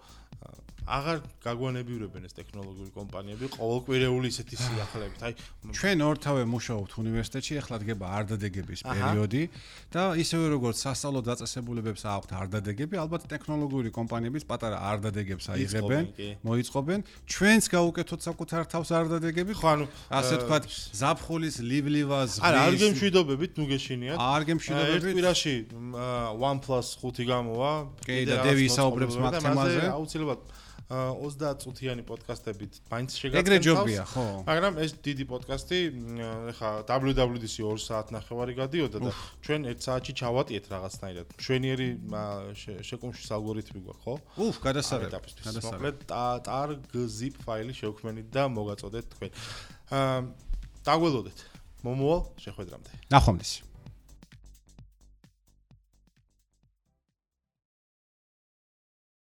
აღარ გაგვანებივრებენ ეს ტექნოლოგიური კომპანიები ყოველკვირეული ისეთი სიახლეებით. აი, ჩვენ ორთავე მუშაობთ უნივერსიტეტში, ახლა დგება არდადეგების პერიოდი და ისევე როგორც სასწავლო დაწესებულებებს აქვთ არდადეგები, ალბათ ტექნოლოგიური კომპანიებიც პატარა არდადეგებს აიღებენ, მოიწყობენ. ჩვენც გავუკეთოთ საკუთარ თავს არდადეგები, ხო, ანუ ასე ვთქვათ, ზაფხულის ლიბლივას ღრის. არ გემშვიდობებით, ნუ გეშინიათ. არ გემშვიდობებით. ერთ კვირაში OnePlus 5 გამოვა. კი, და დევი ისაუბრებს მაგ თემაზე. აუცილებლად 30 წუთიანი პოდკასტებით მაინც შეგაწყენთ. ეგრე ჯობია, ხო. მაგრამ ეს დიდი პოდკასტი, ეხა WWDC 2 საათნახევარი გადიოდა და ჩვენ 1 საათში ჩავატიეთ რაღაცნაირად. მშვენიერი შეკუმშვის ალგორითმი გვაქვს, ხო? გადასარევი. მოკლედ tar.gzip ფაილი შევქმნით და მოგაწოდეთ თქვენ. დაგველოდეთ. მომოვალ შეხვედრამდე. ნახვამდის.